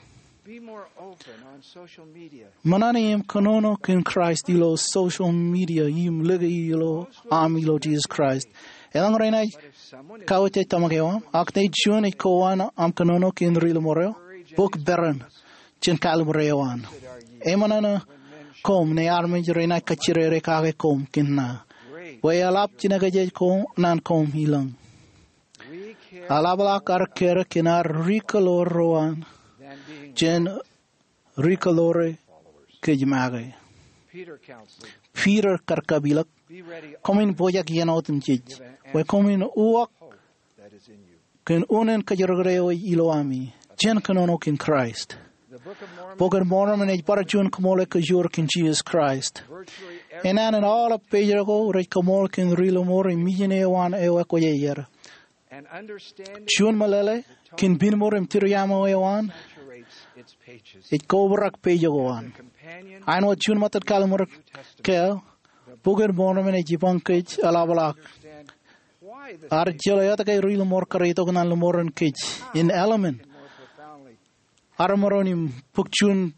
Ṃōṇōṇō im kōnono kōn Kraist ilo social media im lōke ilo aṃ ilo Jisōs Kraist. Eḷaññe renaaj kawōj tōmak eo aṃ, ak ṇe juon ej kowaan aṃ kōnono kōn ri-lōṃor eo, bōk peran jān kallimur eo an. Eṃōṇōṇō koṃ ṇe armej renaaj kajjirere kake koṃ kōn ṇa bwe eḷap jinōkjeje ko ñan koṃ ilōñ. Eḷapḷọk ad kōrā kōn ad ri-kōḷoor ro an jān ri-kōḷoore kōj make. Peter kar kapilōk, koṃwin pojak iien otemjej bwe koṃwin uwaak kōn unin kōjrōkrōk eo ej ilo ami jān kōnono kōn Kraist. Bok in Mormon ej bar juon koṃṃool ekkōjur kōn Jisōs Kraist. Enana in aolep page ko rej koṃṃool kōn ri-lōṃor im mijin eo an eo ekwōj aer. Juon meḷeḷe kōn pinmur im tūriaṃo eo an ej kobrak page ko an. Āinwōt juon ṃōttan kallimur kāāl, Bok in Mormon ej jipañ kōj eḷapḷọk ad jeḷā etke ri-lōṃor kar itok ñan lōṃoran kōj in eḷmān ad maroñ in bōk juon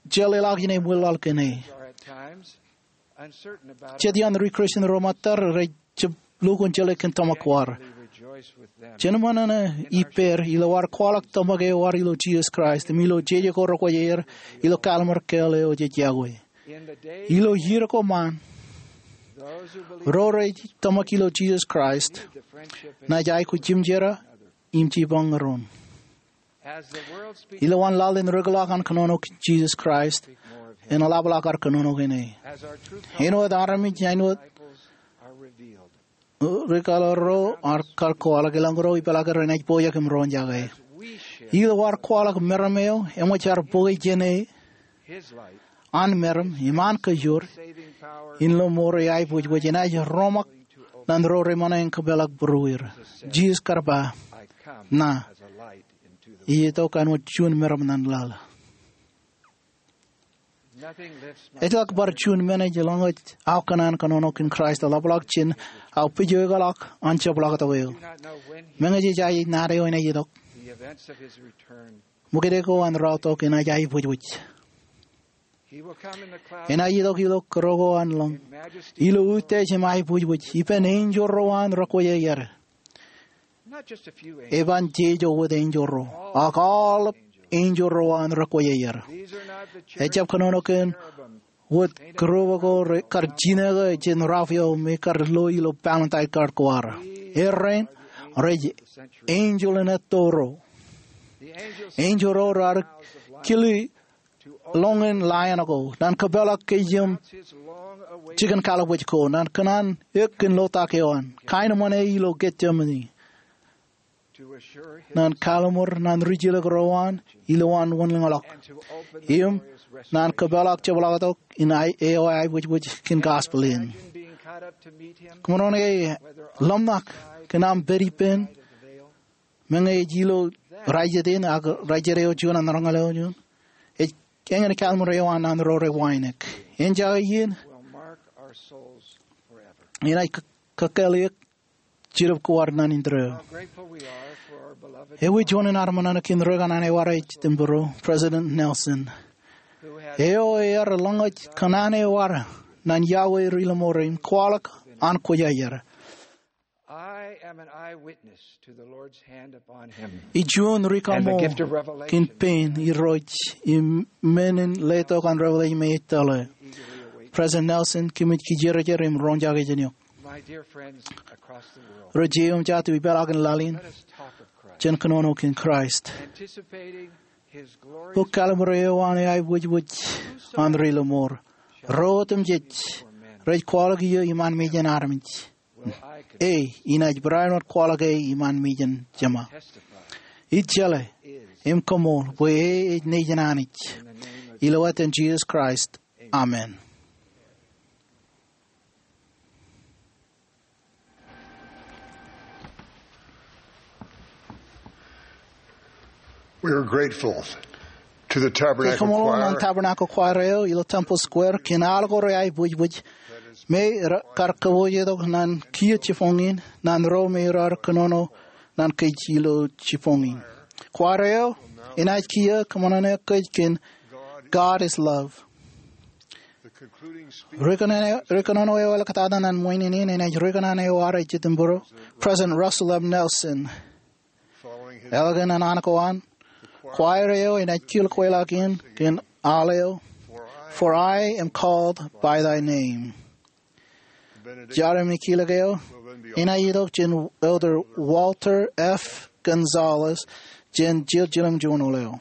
jeḷāḷọkjeṇ im wōnlaḷ kōn e. Jet iaan ri-Kristian ro ṃōttad rej jab lukkuun jeḷā kōn tōmak ko ad. Jen ṃōṇōṇō ippāer ilo ad kwaḷọk tōmak eo ad ilo Jisōs Kraist im ilo jeje ko rekwōj aer ilo kallimur kāāl eo jej iọkwe. Ilo iiō ko ṃaan, ro rej tōmak ilo Jisōs Kraist naaj aikuj jimjerā im jipañ ñan doon. Ilowaan laḷ in rūkḷọk an kōnono kōn Jisōs Kraist, en eḷapḷọk ad kōnono kōn e. Āinwōt armej, āinwōt ri-kōḷoor ro, ad kar kwaḷọk, elōñ ro ipeḷaakin renaaj pojak im roñjake. Ilo ad kwaḷọk meram eo eṃōj ad bōke jān e an meram im an kōjro in lōṃor eo aiboojoj enaaj roṃak ñan ro reṃōṇe en kōpeḷḷọk būrueir. Jisōs kar ba, ṇa ij itok āinwōt juon meram ñan laḷ. Ejjeḷọk bar juon men ej lōñḷọk aō kōṇaan kōnono kōn Kraist eḷapḷọk jān aō pejekḷọk an jepḷaaktok eo. Meñe jej aikuj naad eo enaaj itok, ṃōkaj ko an raorōk enaaj aiboojoj. Enaaj itok ilo kōrā ko an lōñ, ilo utiej im aiboojoj, ippān enjeḷ ro an rekwōj aer. Eban jeje wōt enjeḷ ro, ak aolep enjeḷ ro an rekwōj aer. Ejjab kōnono kōn wōt kūrūpe ko kar jinōkō jān Raphael me kar lo ilo Pālōntae Kōḷ ko ad. Errein rej enjeḷ in etto ro. Enjeḷ ro raar kile lōñ in lion ko, ñan kōpeḷḷọk kōj im jikin kalliṃur ko, ñan kōṇaan eok kōn lotak eo an, kain ṃōṇe ilo Getsemane, ñan kalliṃur ñan rijilōk ro an ilowaan wōnlaḷḷọk, im ñan kōpeḷḷọk jepḷaaktok in eo aiboojoj kōn gospel in. Kōṃṃan ke ḷōmṇak kōn aṃ pād ippān, meñe ej ilo raijjitōk in ak raijjitōk eo juon an roñoul eo juon, ej eñin kalliṃur eo an ñan ro rej wānōk. Eñjake iien enaaj kōkāāl eok jilep ko ad ñan indeeo. Ewi juon in ad ṃōṇōṇō kōn ri-kōṇaan eo ad ej jitōnbōro, President Nelson, eo ear lōñḷọk kōṇaan eo ad ñan iọkwe ri-lōṃor im kwaḷọk an kwōj aer. I am an eyewitness to the Lord's hand upon him. Ij juon ri kaṃṃool kōn pein Irooj im men in letok an revelation me ej tōl e. President Nelson, kōmij kijerjer im roñjake jān eok. My dear friends across the world, ro jeiū im jatū ipeḷaakin laḷ in, let us talk of Christ, jān kōnono kōn Kraist. Anticipating his glorious, bōk kalimur eo an eaibwijbij an ri lọmọọr. Ro otemjej rej kwaḷọk iiō iṃaan mejān armej. Where I could, e, inaaj barāinwōt kwaḷọk e iṃaan mejān Jema. Testify, ij jeḷā im kaṃool bwe e ej nejin Anij. In the name of, ilo etan Jisōs Kraist. Amen. We are grateful to the Tabernacle Choir. Kōṃṃan ñan Tabernacle Choir eo ilo Temple Square kōn al ko reaibwijbij me raar kar kōpoojetok ñan kiiō jibboñ in ñan ro me raar kōnono ñan kōj ilo jibboñ in. Choir eo enaaj kiiō kōṃṃane kōj kōn God is Love. Ri kōnono eo eḷaptata ñan ṃōjin in enaaj ri kōṇaan eo ad ej itok bwe President Russell M. Nelson. Eḷaññe an an ko an, choir eo enaaj kilkweḷọk in kōn al eo, For I am called by thy name. Jar im kilōk eo enaaj itok jān Elder Walter F. Gonzalez jān jiljilimjuon oleo.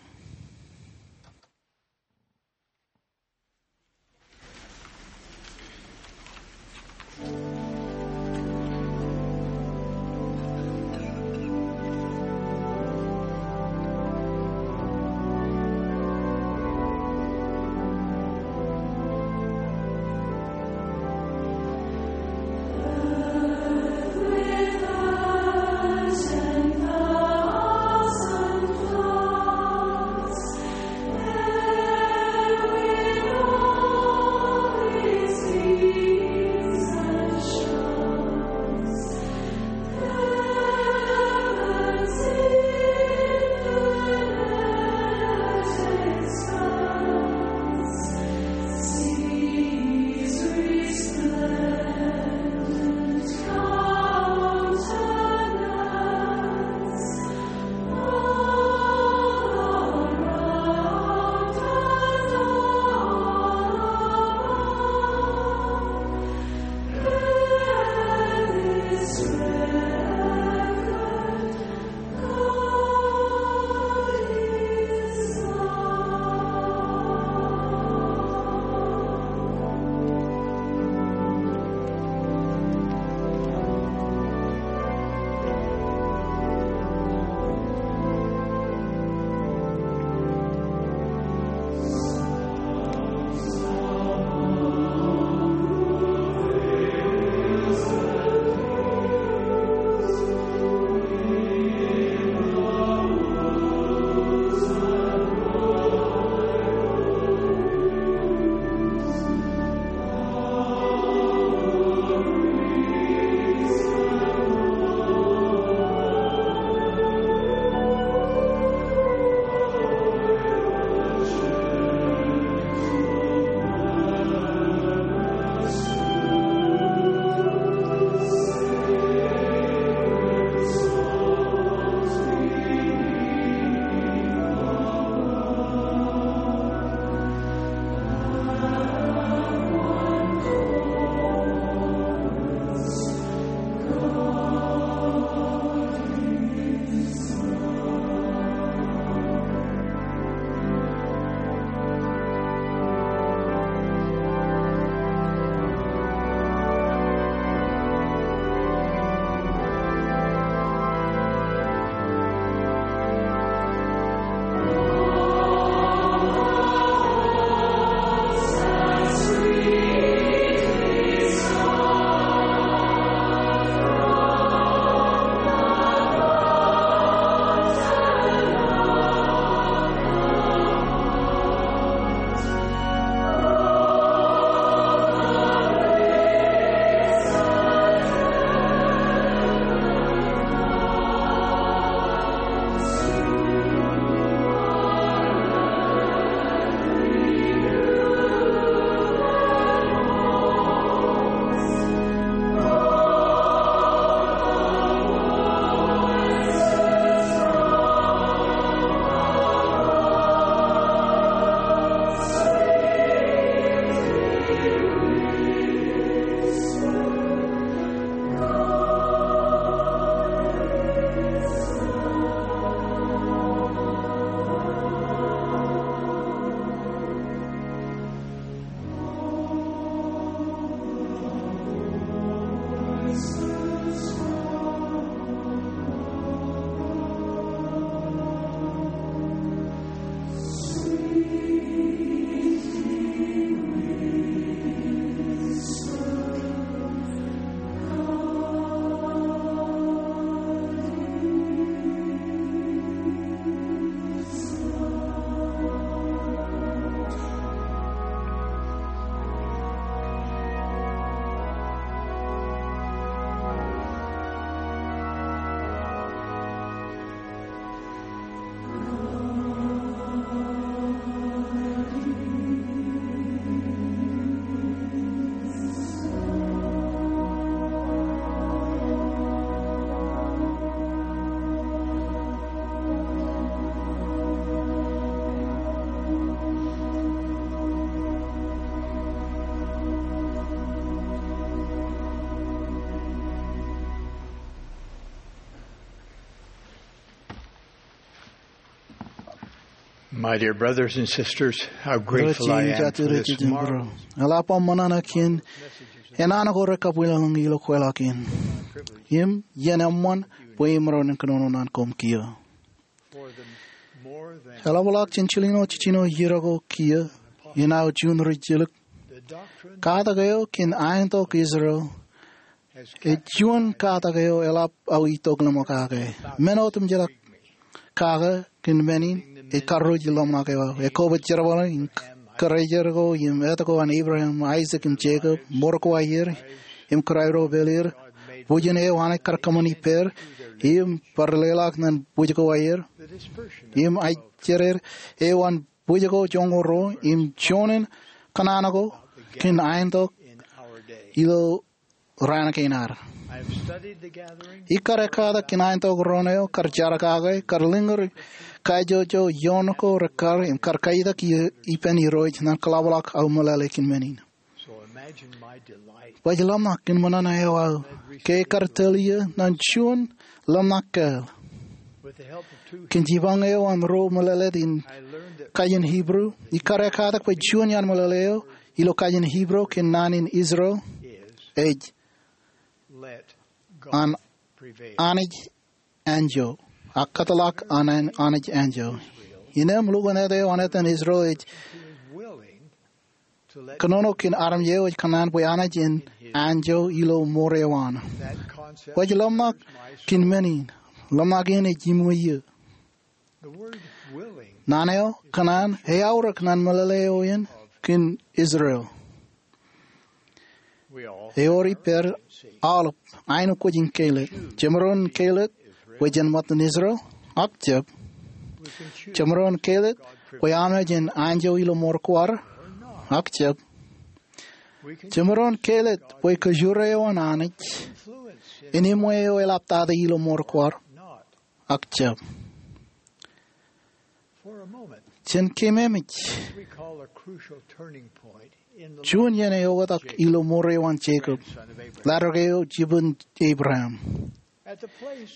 My dear brothers and sisters, how grateful I am for this marvelous. Eḷap aō ṃōṇōṇō kōn enana ko rekabwilōñlōñ ilo kweilọk in. Im iien eṃṃan bwe imaroñ in kōnono naan koṃ kiiō. Eḷapḷọk jān jilñuul jiljino iiō ko kiiō, inaaj juon ri jilkinḷọk. Katak eo kōn aetok Israel ej juon katak eo eḷap aō itok ḷōṃ kake. Men otemjeḷọk kake kōn men in ej karreoik ḷōmṇak eo aō. Ekwe, bwe jerbal in kōrā eo im etto ko an Abraham, Isaac im Jacob, ṃor ko aer im kōrā ro pāleen, bwijin eo Anij kar kōṃṃani pād im bar leḷọk ñan bwij ko aer im aijeraer eo an bwij ko joñoul ruo im juon in kōṇaan ko kōn aetok ilo raan kein ad. Ikar ekkatak kōn aetok ro ṇe eo kar jar kake, kar lōñūr kajjojo ioon ko rekkar im kar kaitak ippān Irooj ñan kōḷapḷọk aō meḷeḷe kōn men in. Bwe ij ḷōmṇak kōn ṃōṇōṇō eo aō ke ekar tōl iiō ñan juon ḷōmṇak kāāl. Kōn jipañ eo an ro meḷeḷe in kajin Hebrew, ikar ekkatak bwe juon iaan meḷeḷe eo ilo kajin Hebrew kōn naan in Israel ej an Anij anjọ, ak kōtḷọk an Anij anjọ. Innām lukkuun eo an etan Israel ej kōnono kōn armej eo ej kōṇaan bwe Anij en anjọ ilo ṃoor eo an. Bwe ij ḷōmṇak kōn men in, ḷōmṇak in ej iṃōj iiō. Naan eo kōṇaan eaorōk ñan meḷeḷe eo in kōn Israel. Ewōr ippād aolep aenōkwōj in kāālōt. Jemaroñ in kāālōt bwe jen ṃōttan Israel? Ak jab. Jemaroñ in kāālōt bwe Anij en anjọ ilo ṃoor ko ad? Ak jab. Jemaroñ in kāālōt bwe kōjro eo an Anij en iṃwe eo eḷaptata ilo ṃoor ko ad? Ak jab. Jān keememej, juon iien eo eoktak ilo ṃoor eo an Jakob, ḷaddik eo jibwin Abraham.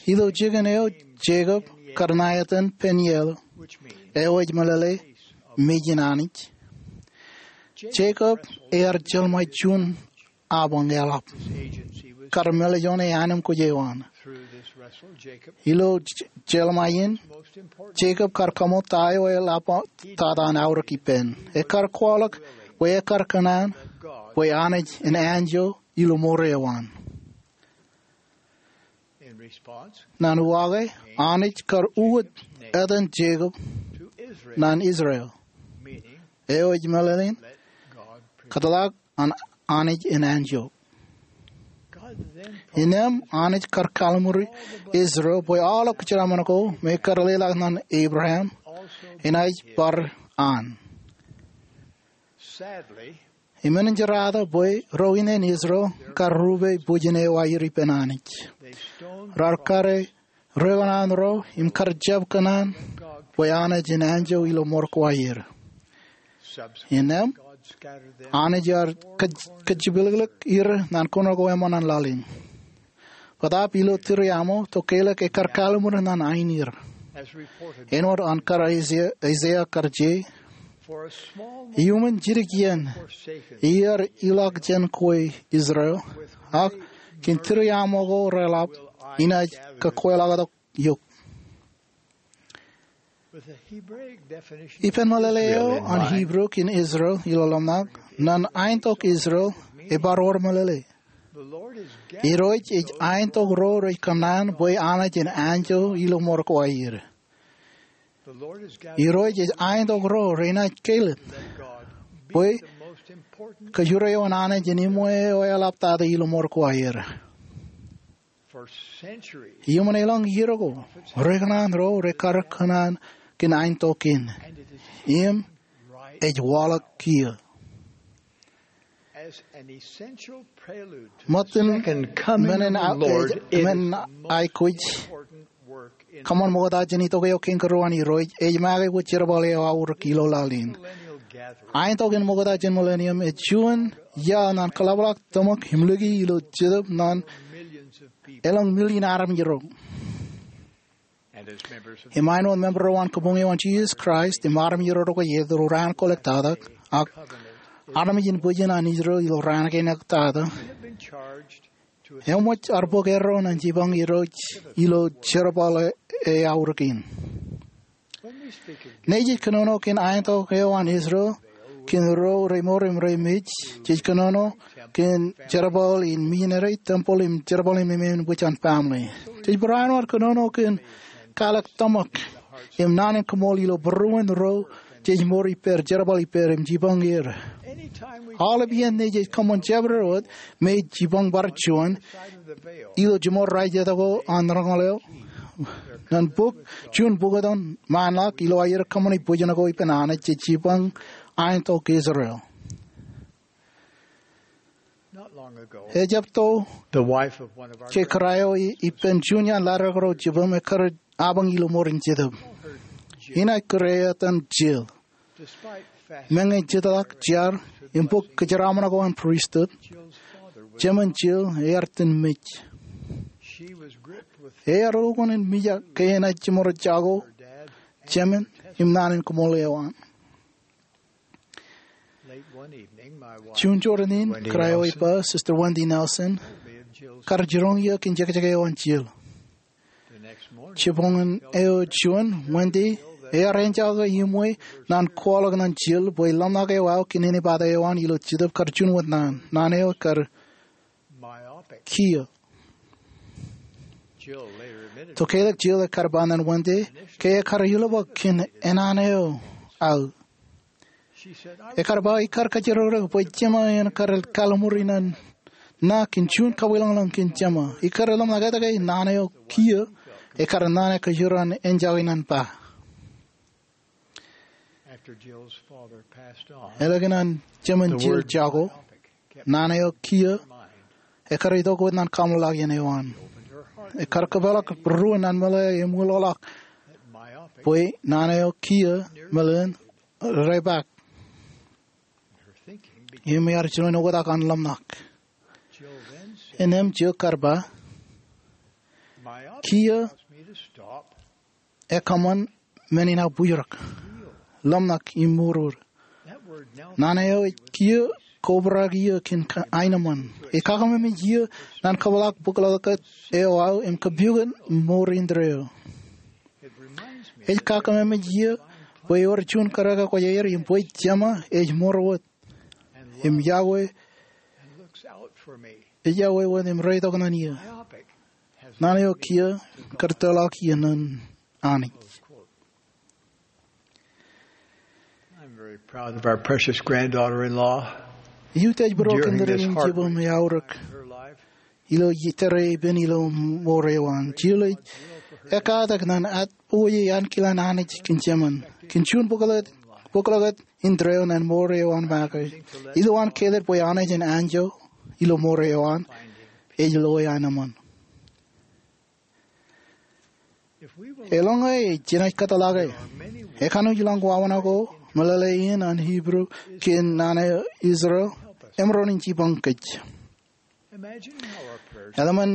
Ilo jikin eo Jakob kar ṇa etan Peniel, eo ej meḷeḷe mejin Anij. Jakob ear jeḷmāe juon apañ eḷap kar mālejjoñe ānemkwōj eo an. Ilo jeḷmāe in, Jakob kar kaṃṃoolol ta eo eḷap tata an aorōk ippān. Ekar kwaḷọk bwe ekar kōṇaan bwe Anij en anjọ ilo ṃoor eo an. Ñan uwaake, Anij kar uwōj etan Jakob ñan Israel, eo ej meḷeḷein kōtḷọk an Anij en anjọ. Innām Anij kar kalliṃur Israel bwe aolep kōjeraaṃṃan ko me kar leḷọk ñan Abraham enaaj bar an. Im enañjerata bwe ro ineen Israel kar rupe bwijin eo aer ippān Anij. Raar kare ri kōṇaan ro im kar jab kōṇaan bwe Anij en anjọ ilo ṃoor ko aer. Innām Anij ear kōj- kōjjipḷōkḷōk er ñan kōnono ko eṃṃan an laḷ in. Bōtaab ilo tūriaṃo, tokālik ekar kalliṃur ñan aineer. Āinwōt an kar Aiseia, Aiseia kar je, iuṃwin jidik iien iar ilọk jān kwe Israel, ak kōn tūriaṃo ko reḷap inaaj kōkweḷọktok eok. Ippān meḷeḷe eo an Hebrew kōn Israel ilo ḷōmṇak, ñan aentok Israel ebar wōr meḷeḷe. Irooj ej aentok ro rej kōṇaan bwe Anij en anjọ ilo ṃoor ko aer. Irooj ej aentok ro renaaj kāālōt bwe kōjro eo an Anij en iṃwe eo eḷaptata ilo ṃoor ko aer. Iuṃwin elōñ iiō ko, ri kōṇaan ro rekar kōṇaan kōn aentok in, im ej waḷọk kiiō. Ṃōttan men in a- men in aikuj kōṃṃan ṃokta jān itok eo kein kōrā an Irooj, ej make bwe jerbal eo aorōk ilo laḷ in. Aentok in ṃokta jān millennium ej juon iaḷ ñan kōḷapḷọk tōmak im lōke ilo Jetōb ñan elōñ million armej ro. Im āinwōt member eo an kabuñ eo an Jisōs Kraist im armej ro rej kweilọk raan ko ḷọk tata, ak armej in bwijin an Israel ilo raan kein ḷọk tata, eṃōj ad bōk erro ñan jipañ Irooj ilo jerbal eo eaorōk in. Ñe jej kōnono kōn aitok eo an Israel kōn ro remour im remej, jej kōnono kōn jerbal in missionary, temple im jerbal in ememembwij an family. Jej barāinwōt kōnono kōn kwaḷọk tōmak im naan in kaṃool ilo būruon ro jej mour ippāer, jerbal ippāer im jipañ er. Aolep iien ñe jej kōṃṃan jabdewōt, me jipañ bar juon ilo jiṃor raijjitōk ko an roñoul eo, ñan bōk juon bukot an ṃaanḷọk ilo aer kōṃṃani bwijin ko ippān Anij, jej jipañ aitok Israel. Ejjab to, ke kōrā eo ippān juon iaan ḷaddik ro jibūṃ ekkar apañ ilo ṃoor in Jetōb. Inaaj kōrā etan Jill. Meñe jitḷọk jar im bōk kōjeraaṃṃan ko an pristut, jemān Jill ear itōn mej. Ear okwe in mijak ke enaaj jiṃor jako jemān im naan in kaṃool eo an. Juon jorrāān in, kōrā eo ippān, Sister Wendy Nelson, kar jiroñ eō kōn jekjek eo an Jill. Jibboñōn eo juon, Wendy ear enjake iṃwe ñan kwaḷọk ñan Jill bwe ḷōmṇak eo aō kōn anibōtō eo an ilo Jetōb kar juon wōt naan. Naan eo kar kiiō. Tokālik Jill ekar ba ñan Wendy ke ekar ilubōk kōn enana eo aō. Ekar ba, ikar kajjirōkrōk bwe jema en kar kalimur inan ṇa kōn juon kabwilōñlōñ kōn jema. Ikar ḷōmṇak etke naan eo kiiō ekar ṇa ekajoor an enjake inan ba. Ālikin an jemān Jill jako, naan eo kiiō ekar itok wōt ñan kaṃṃoolol eo an. Ekar kōpeḷḷọk būruon an meḷeḷe im uloḷọk bwe naan eo kiiō meḷeḷein reipaak. Im ear jino in oktak an ḷōmṇak. Innām Jill kar ba, kiiō ekōṃṃan men in aō bujrak, ḷōmṇak im mour. Naan eo ej kiiō kobrak iiō kōn aenōṃṃan. Ej kakaṃōmej iiō ñan kōpeḷḷọk bōklọkōt eo aō im kōpukot mour indeeo. Ej kakaṃōmej iiō bwe ewōr juon kōrā ko aer im bwe jema ej ṃor wōt im yokwe, ej yokwe wōt im reitok ñan iiō. Naan eo kiiō kar tōrḷọk iiō ñan Anij. I'm very proud of our precious granddaughter-in-law. Eutiej būruon kōn tōre in jibūṃ eaorōk ilo tōre epen ilo mour eo an. Jill ej ekkatak ñan atpoje ankilaan Anij kōn jemān kōn juon bōklọkōt indeeo ñan mour eo an make. Ilowaan kāālōt bwe Anij en anjọ ilo mour eo an, ej loe aenōṃṃan. Eḷaññe jenaaj kōtḷọke, ekanooj ilañ wāween ko meḷeḷe in an Hibru kōn naan eo Israel emaroñ in jipañ kōj. Eḷmen,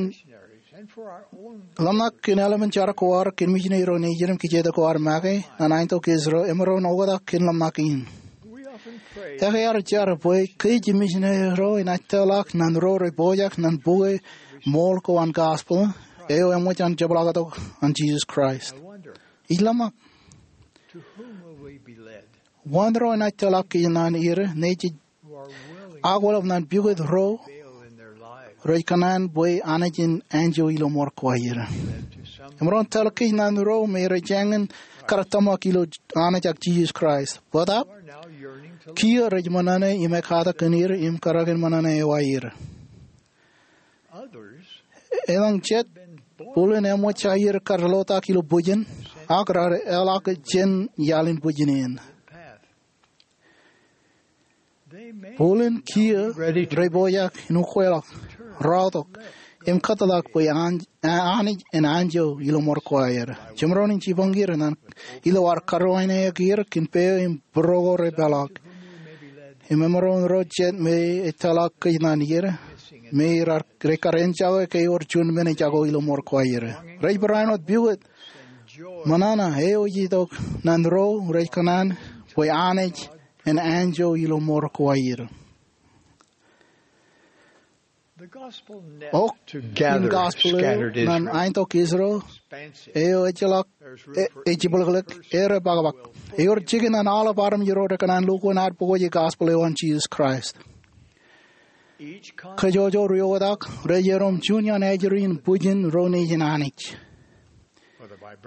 ḷōmṇak kōn eḷmen jar ko ad kōn misineri ro nejin im kijeek ko ad make ñan aitok Israel emaroñ in oktak kōn ḷōmṇak in. Ekwe ad jar bwe kōj im misineri ro enaaj tōrḷọk ñan ro rej pojak ñan bukwe ṃool ko an gospel eo eṃōj an jepḷaaktok an Jisōs Kraist. Ij ḷōmṇak, wōn ro enaaj tōrḷọk kōj ñan er ñe jej akwōlep ñan pukot ro rej kōṇaan bwe Anij en anjọ ilo ṃor ko aer? Emaroñ tōrḷọk kōj ñan ro me rej jañin kar tōmak ilo Anij ak Jisōs Kraist. Bōtab, kiiō rej ṃōṇōṇō im ekkatak kōn er im kōrā kōn ṃōṇōṇō eo aer. Elōñ jet, bōlen eṃōj aer kar lotak ilo bwijin, ak raar eḷak jān iaḷ in bwijin eṇ. Bōlen kiiō rej pojak in ukweḷọk, rọọltok, im kōtḷọk bwe Anij en anjọ ilo ṃor ko aer. Jemaroñ in jipañ er ñan ilo ad karuwaineke er kōn peiṃ im būruō ko repeḷḷọk. Im emaroñ ro jet me ej tōrḷọk kōj ñan er, me rej kar enjake ke ewōr juon men ej jako ilo ṃor ko aer. Rej barāinwōt pukot Ṃōṇōṇō eo ej itok ñan ro rej kōṇaan bwe Anij en anjọ ilo mour ko aer. Eok in gospel eo ñan aetok Israel eo ejjeḷọk, e, ej jibwilklik, erepakpak. Ewōr jikin ñan aolep armej ro rekōṇaan lukkuun ad pukot gospel eo an Jisōs Kraist. Kōjwōjwō ri-oktak rej erom juon iaan ajri in bwijin ro nejin Anij.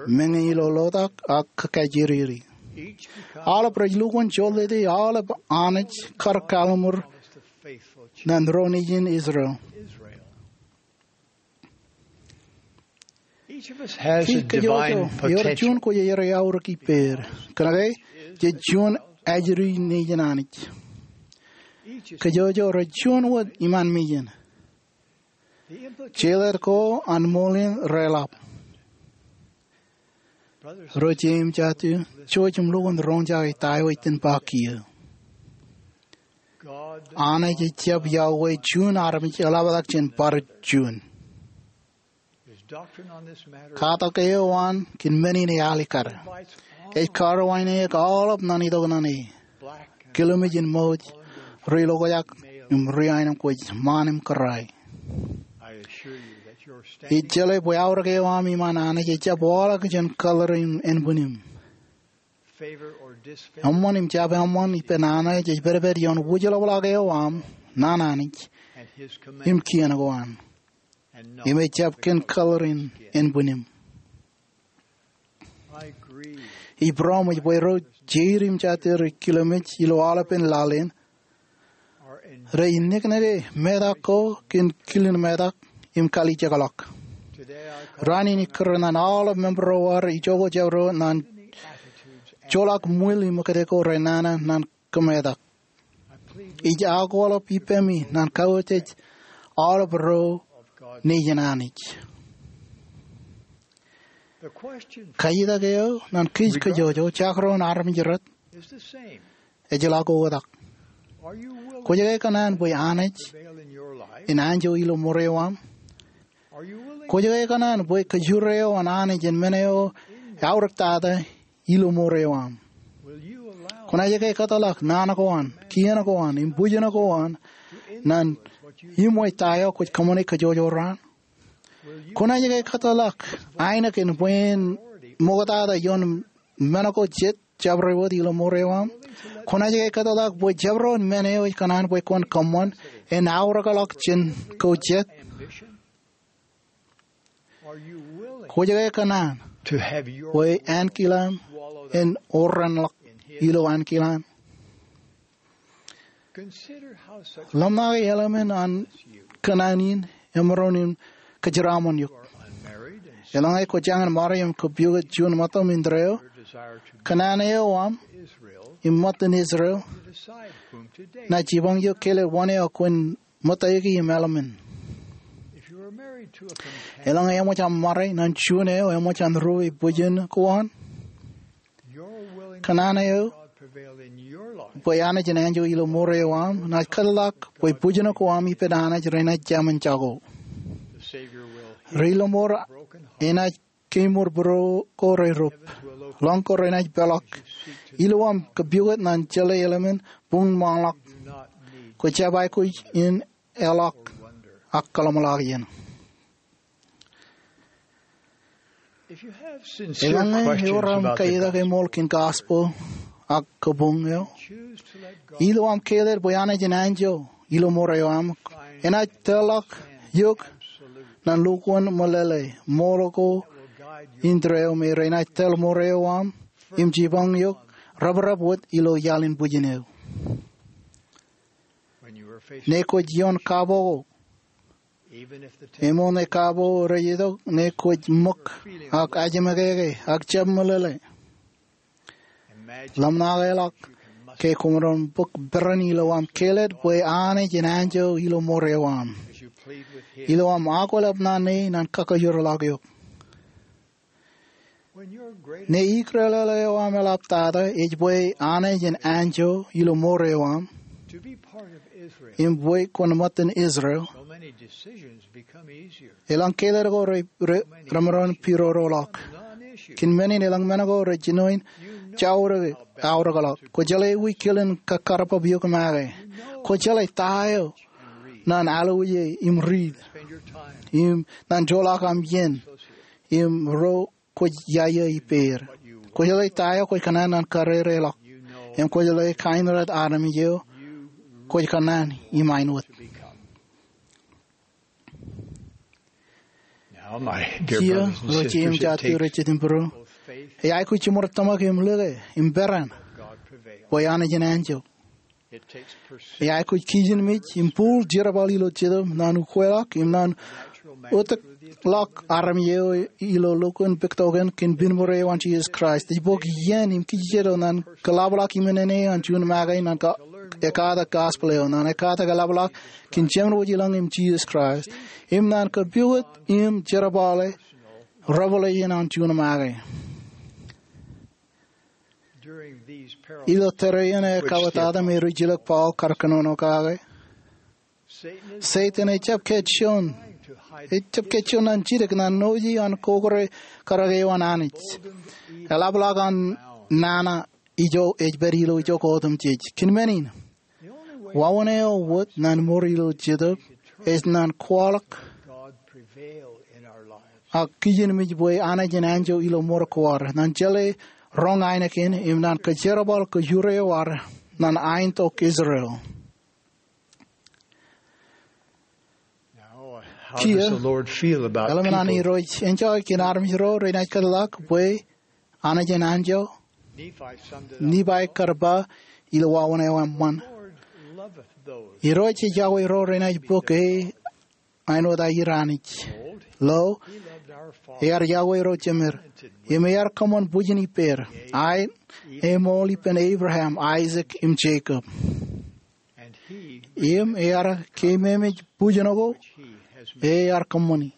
Meñe ilo lotak ak kajjiriri, aolep rej lukkuun joltete aolep Anij kar kalimur ñan ro nejin Israel. Kōjwōjwō ewōr juon kwōj aer iaorōk ippāer. Kōnke jej juon ajri nejin Anij. Kōjwōjwō rej juon wōt iṃaan mejān. Jeḷā ko an ṃool in reḷap. Ro jeiū im jatū, jouj im lukkuun roñjake ta eo ej itōn ba kiiō. Anij ejjab iọkwe juon armej eḷaptata jān bar juon. Katak eo an kōn men in ealikkar. Ej karuwaineke aolep ñan itok ñan e, kilomej in ṃōj, ri-lokjak im ri-aenōṃ kwōj ṃaan im kōrā. Ij jeḷā bwe aorōk eo aṃ iṃaan Anij ejjab waḷọk jān kōḷḷārin ānbwinim. Eṃṃan im jab eṃṃan ippān Anij ej pedped ioon wūjlepḷọk eo aṃ ñan Anij im kien ko an. Im ejjab kōn kōḷḷārin ānbwinim. Ij būroṃōj bwe ro jeiū im jatū rej kilomej ilo aolepen laḷ in rej niknike metak ko kōn kilin metak im kalijekḷọk. Raan in ij kūr ñan aolep member ro ad ijoko jabdewōt ñan joḷọk ṃwiil im ṃōkaj ko renana ñan kōmetak. Ij akwōḷap ippemi ñan kautiej aolep ro nejin Anij. Kajitak eo ñan kōj kōjwōjwō, jakrōn armej rot, ejjeḷọk oktak. Kwōj ke kōṇaan bwe Anij en anjọ ilo mour eo aṃ? Kwōj ke kōṇaan bwe kōjro eo an Anij en men eo eaorōktata ilo mour eo aṃ? Kwōnaaj ke kōtḷọk naan ko an, kien ko an, im bwijin ko an ñan iṃwe ta eo kwōj kōṃṃane kōjwōjwō raan? Kwōnaaj ke kōtḷọk ainikien bwe en ṃoktata ioon men ko jet jabdewōt ilo mour eo aṃ? Kwōnaaj ke kōtḷọk bwe jabdewōt men eo ej kōṇaan bwe kwōn kōṃṃan en aorōkḷọk jān ko jet? Kwōj ke kōṇaan bwe ankilaan en orranḷọk ilo ankilaan? Ḷōmṇake eḷmān an kōṇaan in emaroñ in kōjeraṃṃan eok. Eḷaññe kwōj jañin ṃare im kōpukot juon ṃōttam indeeo, kōṇaan eo aṃ im ṃōttan Israel enaaj jipañ eok kelōt wōn eo kwōn ṃōtteiki im eḷmān. Eḷaññe eṃōj aṃ ṃare ñan juon eo eṃōj an ruo bwijin ko an, kōṇaan eo bwe Anij en anjọ ilo mour eo aṃ enaaj kōtḷọk bwe bwijin ko aṃ ippān Anij renaaj jāmin jako. Ri-Lōṃor enaaj kemour būruo ko rerup. Lọñ ko renaaj peḷọk. Ilo aṃ kōpukot ñan jeḷā eḷmān buñ ṃaanḷọk, kwō jab aikuj in eḷọk ak kōḷmānḷọkjeṇ. Eḷaññe ewōr aṃ kajitak eṃool kōn gospel ak kabuñ eo, ilo aṃ kelōt bwe Anij en anjọ ilo mour eo aṃ, enaaj tōrḷọk eok ñan lukkuun meḷeḷe ṃool ko indeeo me renaaj tōl mour eo aṃ im jipañ eok reprep wōt ilo iaḷ in bwijin eo. Ñe kwōj ioon kapo ko, eṃool ñe kapo rej itok, ñe kwōj ṃōk ak ajemekeke ak jab meḷeḷe, ḷōmṇakeḷọk ke kwōmaroñ bōk peran ilo aṃ kelōt bwe Anij en anjọ ilo mour eo aṃ, ilo aṃ akweḷap ñan e ñan kakajoorḷọk eok. Ñe ikōḷḷe eo aṃ eḷaptata ej bwe Anij en anjọ ilo mour eo aṃ im bwe kwōn ṃōttan Israel, elōñ kelōt ko re, re, remaroñ pidodoḷọk. Kōn men in elōñ men ko rej jino in jaorōk aorōkḷọk. Kwō jeḷā ewi kilen kakkarpap eok make. Kwō jeḷā ta eo naan alwōje im riit im naan joḷọk aṃ iien im ro kwōj iaia ippāer. Kwō jeḷā ta eo kwōj kōṇaan naan karereḷọk. Im kwō jeḷā kain ro armej eo kwōj kōṇaan im āinwōt. Now, my dear Kiiō, brothers and ro sisters, jeiū im it jatū ro takes jet im būruō, both faith ej aikuj jiṃor tōmak im lōke im peran God prevail. Bwe Anij en anjọ. It takes persistence. Ej aikuj kijenmej im bōk jerbal ilo Jetōb naan ukweḷọk im naan otōkḷọk armej eo ilo lukkuun puktoken kōn piṃor eo an Jisōs Kraist. Ej bōk iien im kijejeḷā naan kōḷapḷọk iṃōṇōṇō an juon make naan ka-, ekkatak gospel eo, naan ekkatak eḷapḷọk kōn Jemān Wōj i lañ im Jisōs Kraist, im naan kōpooj im jerbale revelation an juon make. Ilo tōre in ekkaḷaptata me rijilōk Paul kar kōnono kake, Setan ejjab kajjioñ, ejjab kajjioñ naan jidik naan noje an kokore karōk eo an Anij. Eḷapḷọk an nana ijo ej pād ilo ijo ko otemjej. Kōn men in, wāween eo wōt naan ṃor ilo Jetōb ej naan kwaḷọk ak kijenmej bwe Anij en anjọ ilo ṃor ko ad, naan jeḷā roñ ainikien im naan kōjerbal kōjur eo ad naan ainikien Israel. Kiiō, eḷap an Irooj enjoy kōn armej ro renaaj kōtḷọk bwe Anij en anjọ? Nephi kar ba ilo wāween eo eṃṃan, Irooj ej yokwe ro renaaj bōk e āinwōt aer Anij. Lo, ear yokwe ro jemed, im ear kōṃṃan bwijin ippād, aet, eṃool ippān Abraham, Aisak, im Jekob. Im ear keememej bwijin ko ear kōṃṃani.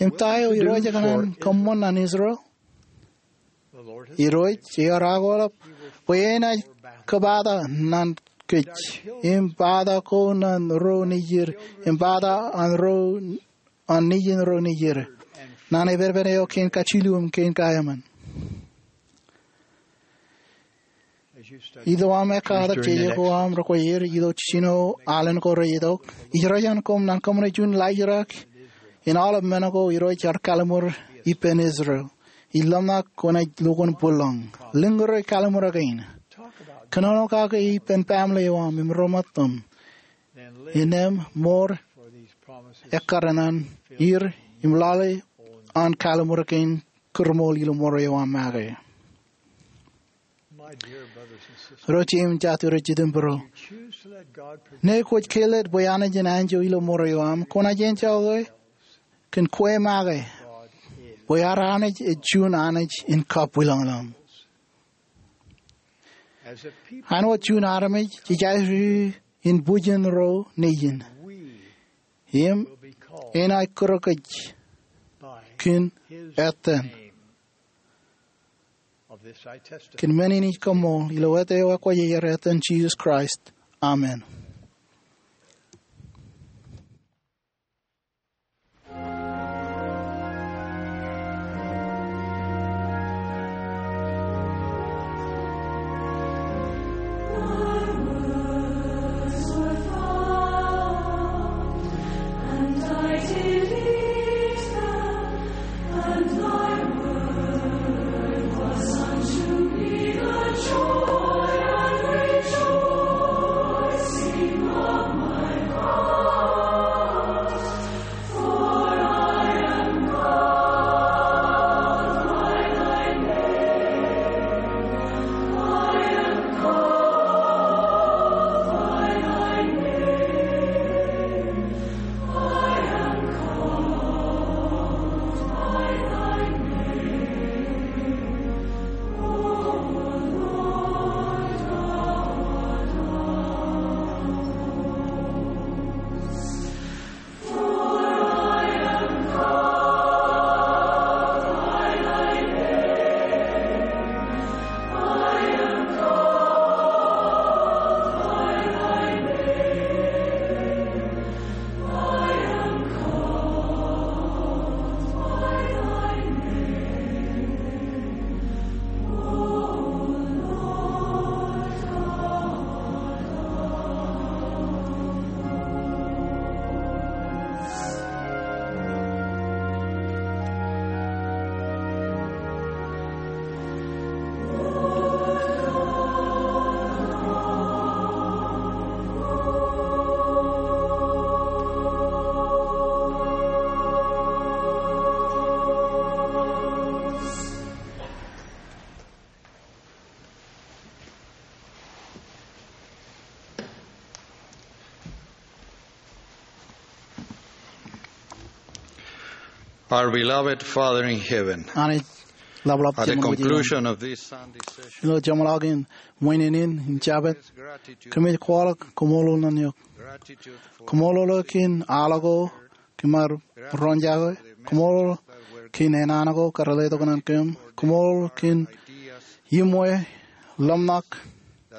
Im ta eo Irooj ekōṇaan kōṃṃan naan Israel? Irooj ear akwōlep bwe enaaj kōpata naan kōj, im pata ko naan ro nejid, im pata an ro an nejin ro nejid. Naan epād eo kein kajilu im kein kaemān. Ijo aṃ ekkatak jeje ko aṃ rekwe er ilo jijino alen ko rejitok, ij reitok koṃ naan kōṃṃane juon laajrak in aolep men ko Irooj ear kalliṃur ippān Israel. Ij ḷōmṇak kwōnaaj lukkuun būḷọñ. Lōñ ro kalliṃur kein. Kōnono kake ippān family eo aṃ im ri-matuṃ. Innām ṃool ekkar naan er im lale an kalliṃur kein kūrṃool ilo ṃor eo aṃ make. Ro jeiū im jatū ro jitūṃ būruō, ñe kwōj kāālōt bwe Anij en anjọ ilo ṃor eo aṃ, kwōnaaj enjoy kōn kwe make bwe ad Anij ej juon Anij in kabwilōñlōñ. Āinwōt juon armej jej aikuj in bwijin ro nejin. Im enaaj kūr kōj kōn etan. Kōn men in ij kaṃṃoolol ilo etan eo ekwōj er, etan Jisōs Kraist. Amen. Our beloved Father in heaven, Anij Ḷapḷap, at the Jemān wōj ilo conclusion of this Sunday session, ilo jeṃḷọkin ṃwiin in in Jabōt, gratitude kōmij kwaḷọk koṃṃoolol ṇe eok. Gratitude for Koṃṃoolol eok kōn aḷ ko kōm ar roñjake. Koṃṃoolol kōn enana ko kar letok ñan kōm. Koṃṃoolol kōn iṃwe, ḷōmṇak,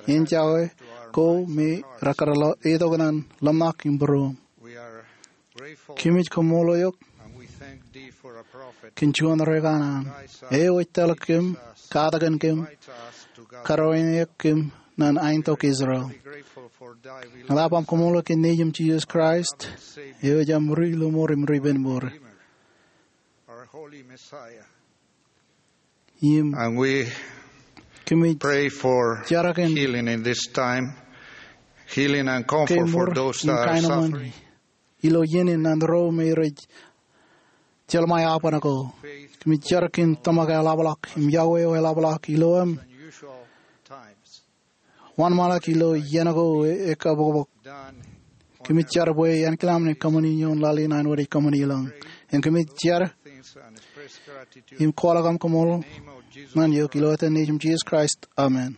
enjake ko me rekar letok ñan ḷōmṇak im būruōṃ. Kōmij koṃṃool eok kōn juon ri kanaan eo ej tōl kōm, katakin kōm, karuwainene kōm ñan aentok Israel. Ña ḷap aṃ koṃṃool kōn Nejiṃ Jisōs Kraist, eo ej aṃ ri-lọmọọr im ri-penmour. Im kōmij jar kōn kemour im kaenōṃṃan ilo iien in ñan ro me rej jeḷā ṃae aoban ko. Kōmij jar kōn tōmak eḷapḷọk im yokwe eo eḷapḷọk ilo im wōnṃaanḷọk ilo iien ko ekabokbok. Kōmij jar bwe en kilam ṇe kōṃṃani ioon laḷ in an wōt ej kōṃṃani elōñ. Im kōmij jar im kwaḷọk aṃ koṃṃool ṇe eok ilo etan Nejiṃ Jisōs Kraist, amen.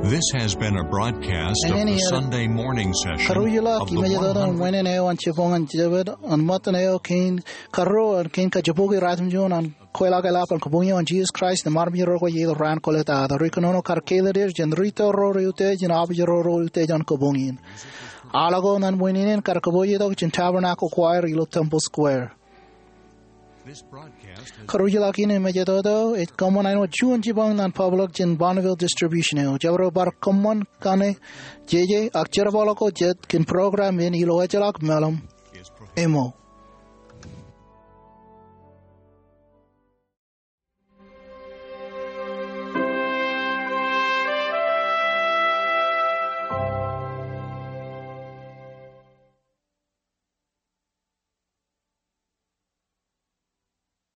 This has been a broadcast of the Sunday morning session of the one hundred. Karuj ḷọk im mejatoto ṃwiin in eo an jibboñōn Jabōt, an ṃōttan eo kein karuo, an kein kajibboki ratimjuon an kweilọk eḷap an kabuñ eo an Jisōs Kraist im armej ro ko iiet raan kōlōt ad. Ri kōnono kar kāālōt er jān ri tōl ro reutiej im abuj ro reutiej ñan kabuñ in. Aḷ ko ñan ṃwiin in kar kōpoojetok jān Tabernacle Choir ilo Temple Square. Karuj ḷọk in im mejatoto ej kōṃṃan āinwōt juon jibboñ ñan public jān Bonneville Distribution eo. Jabdewōt bar kōṃṃan kaṇe jeje ak jerbal ko jet kōn program in ilo ejjeḷọk meḷeṃ eo.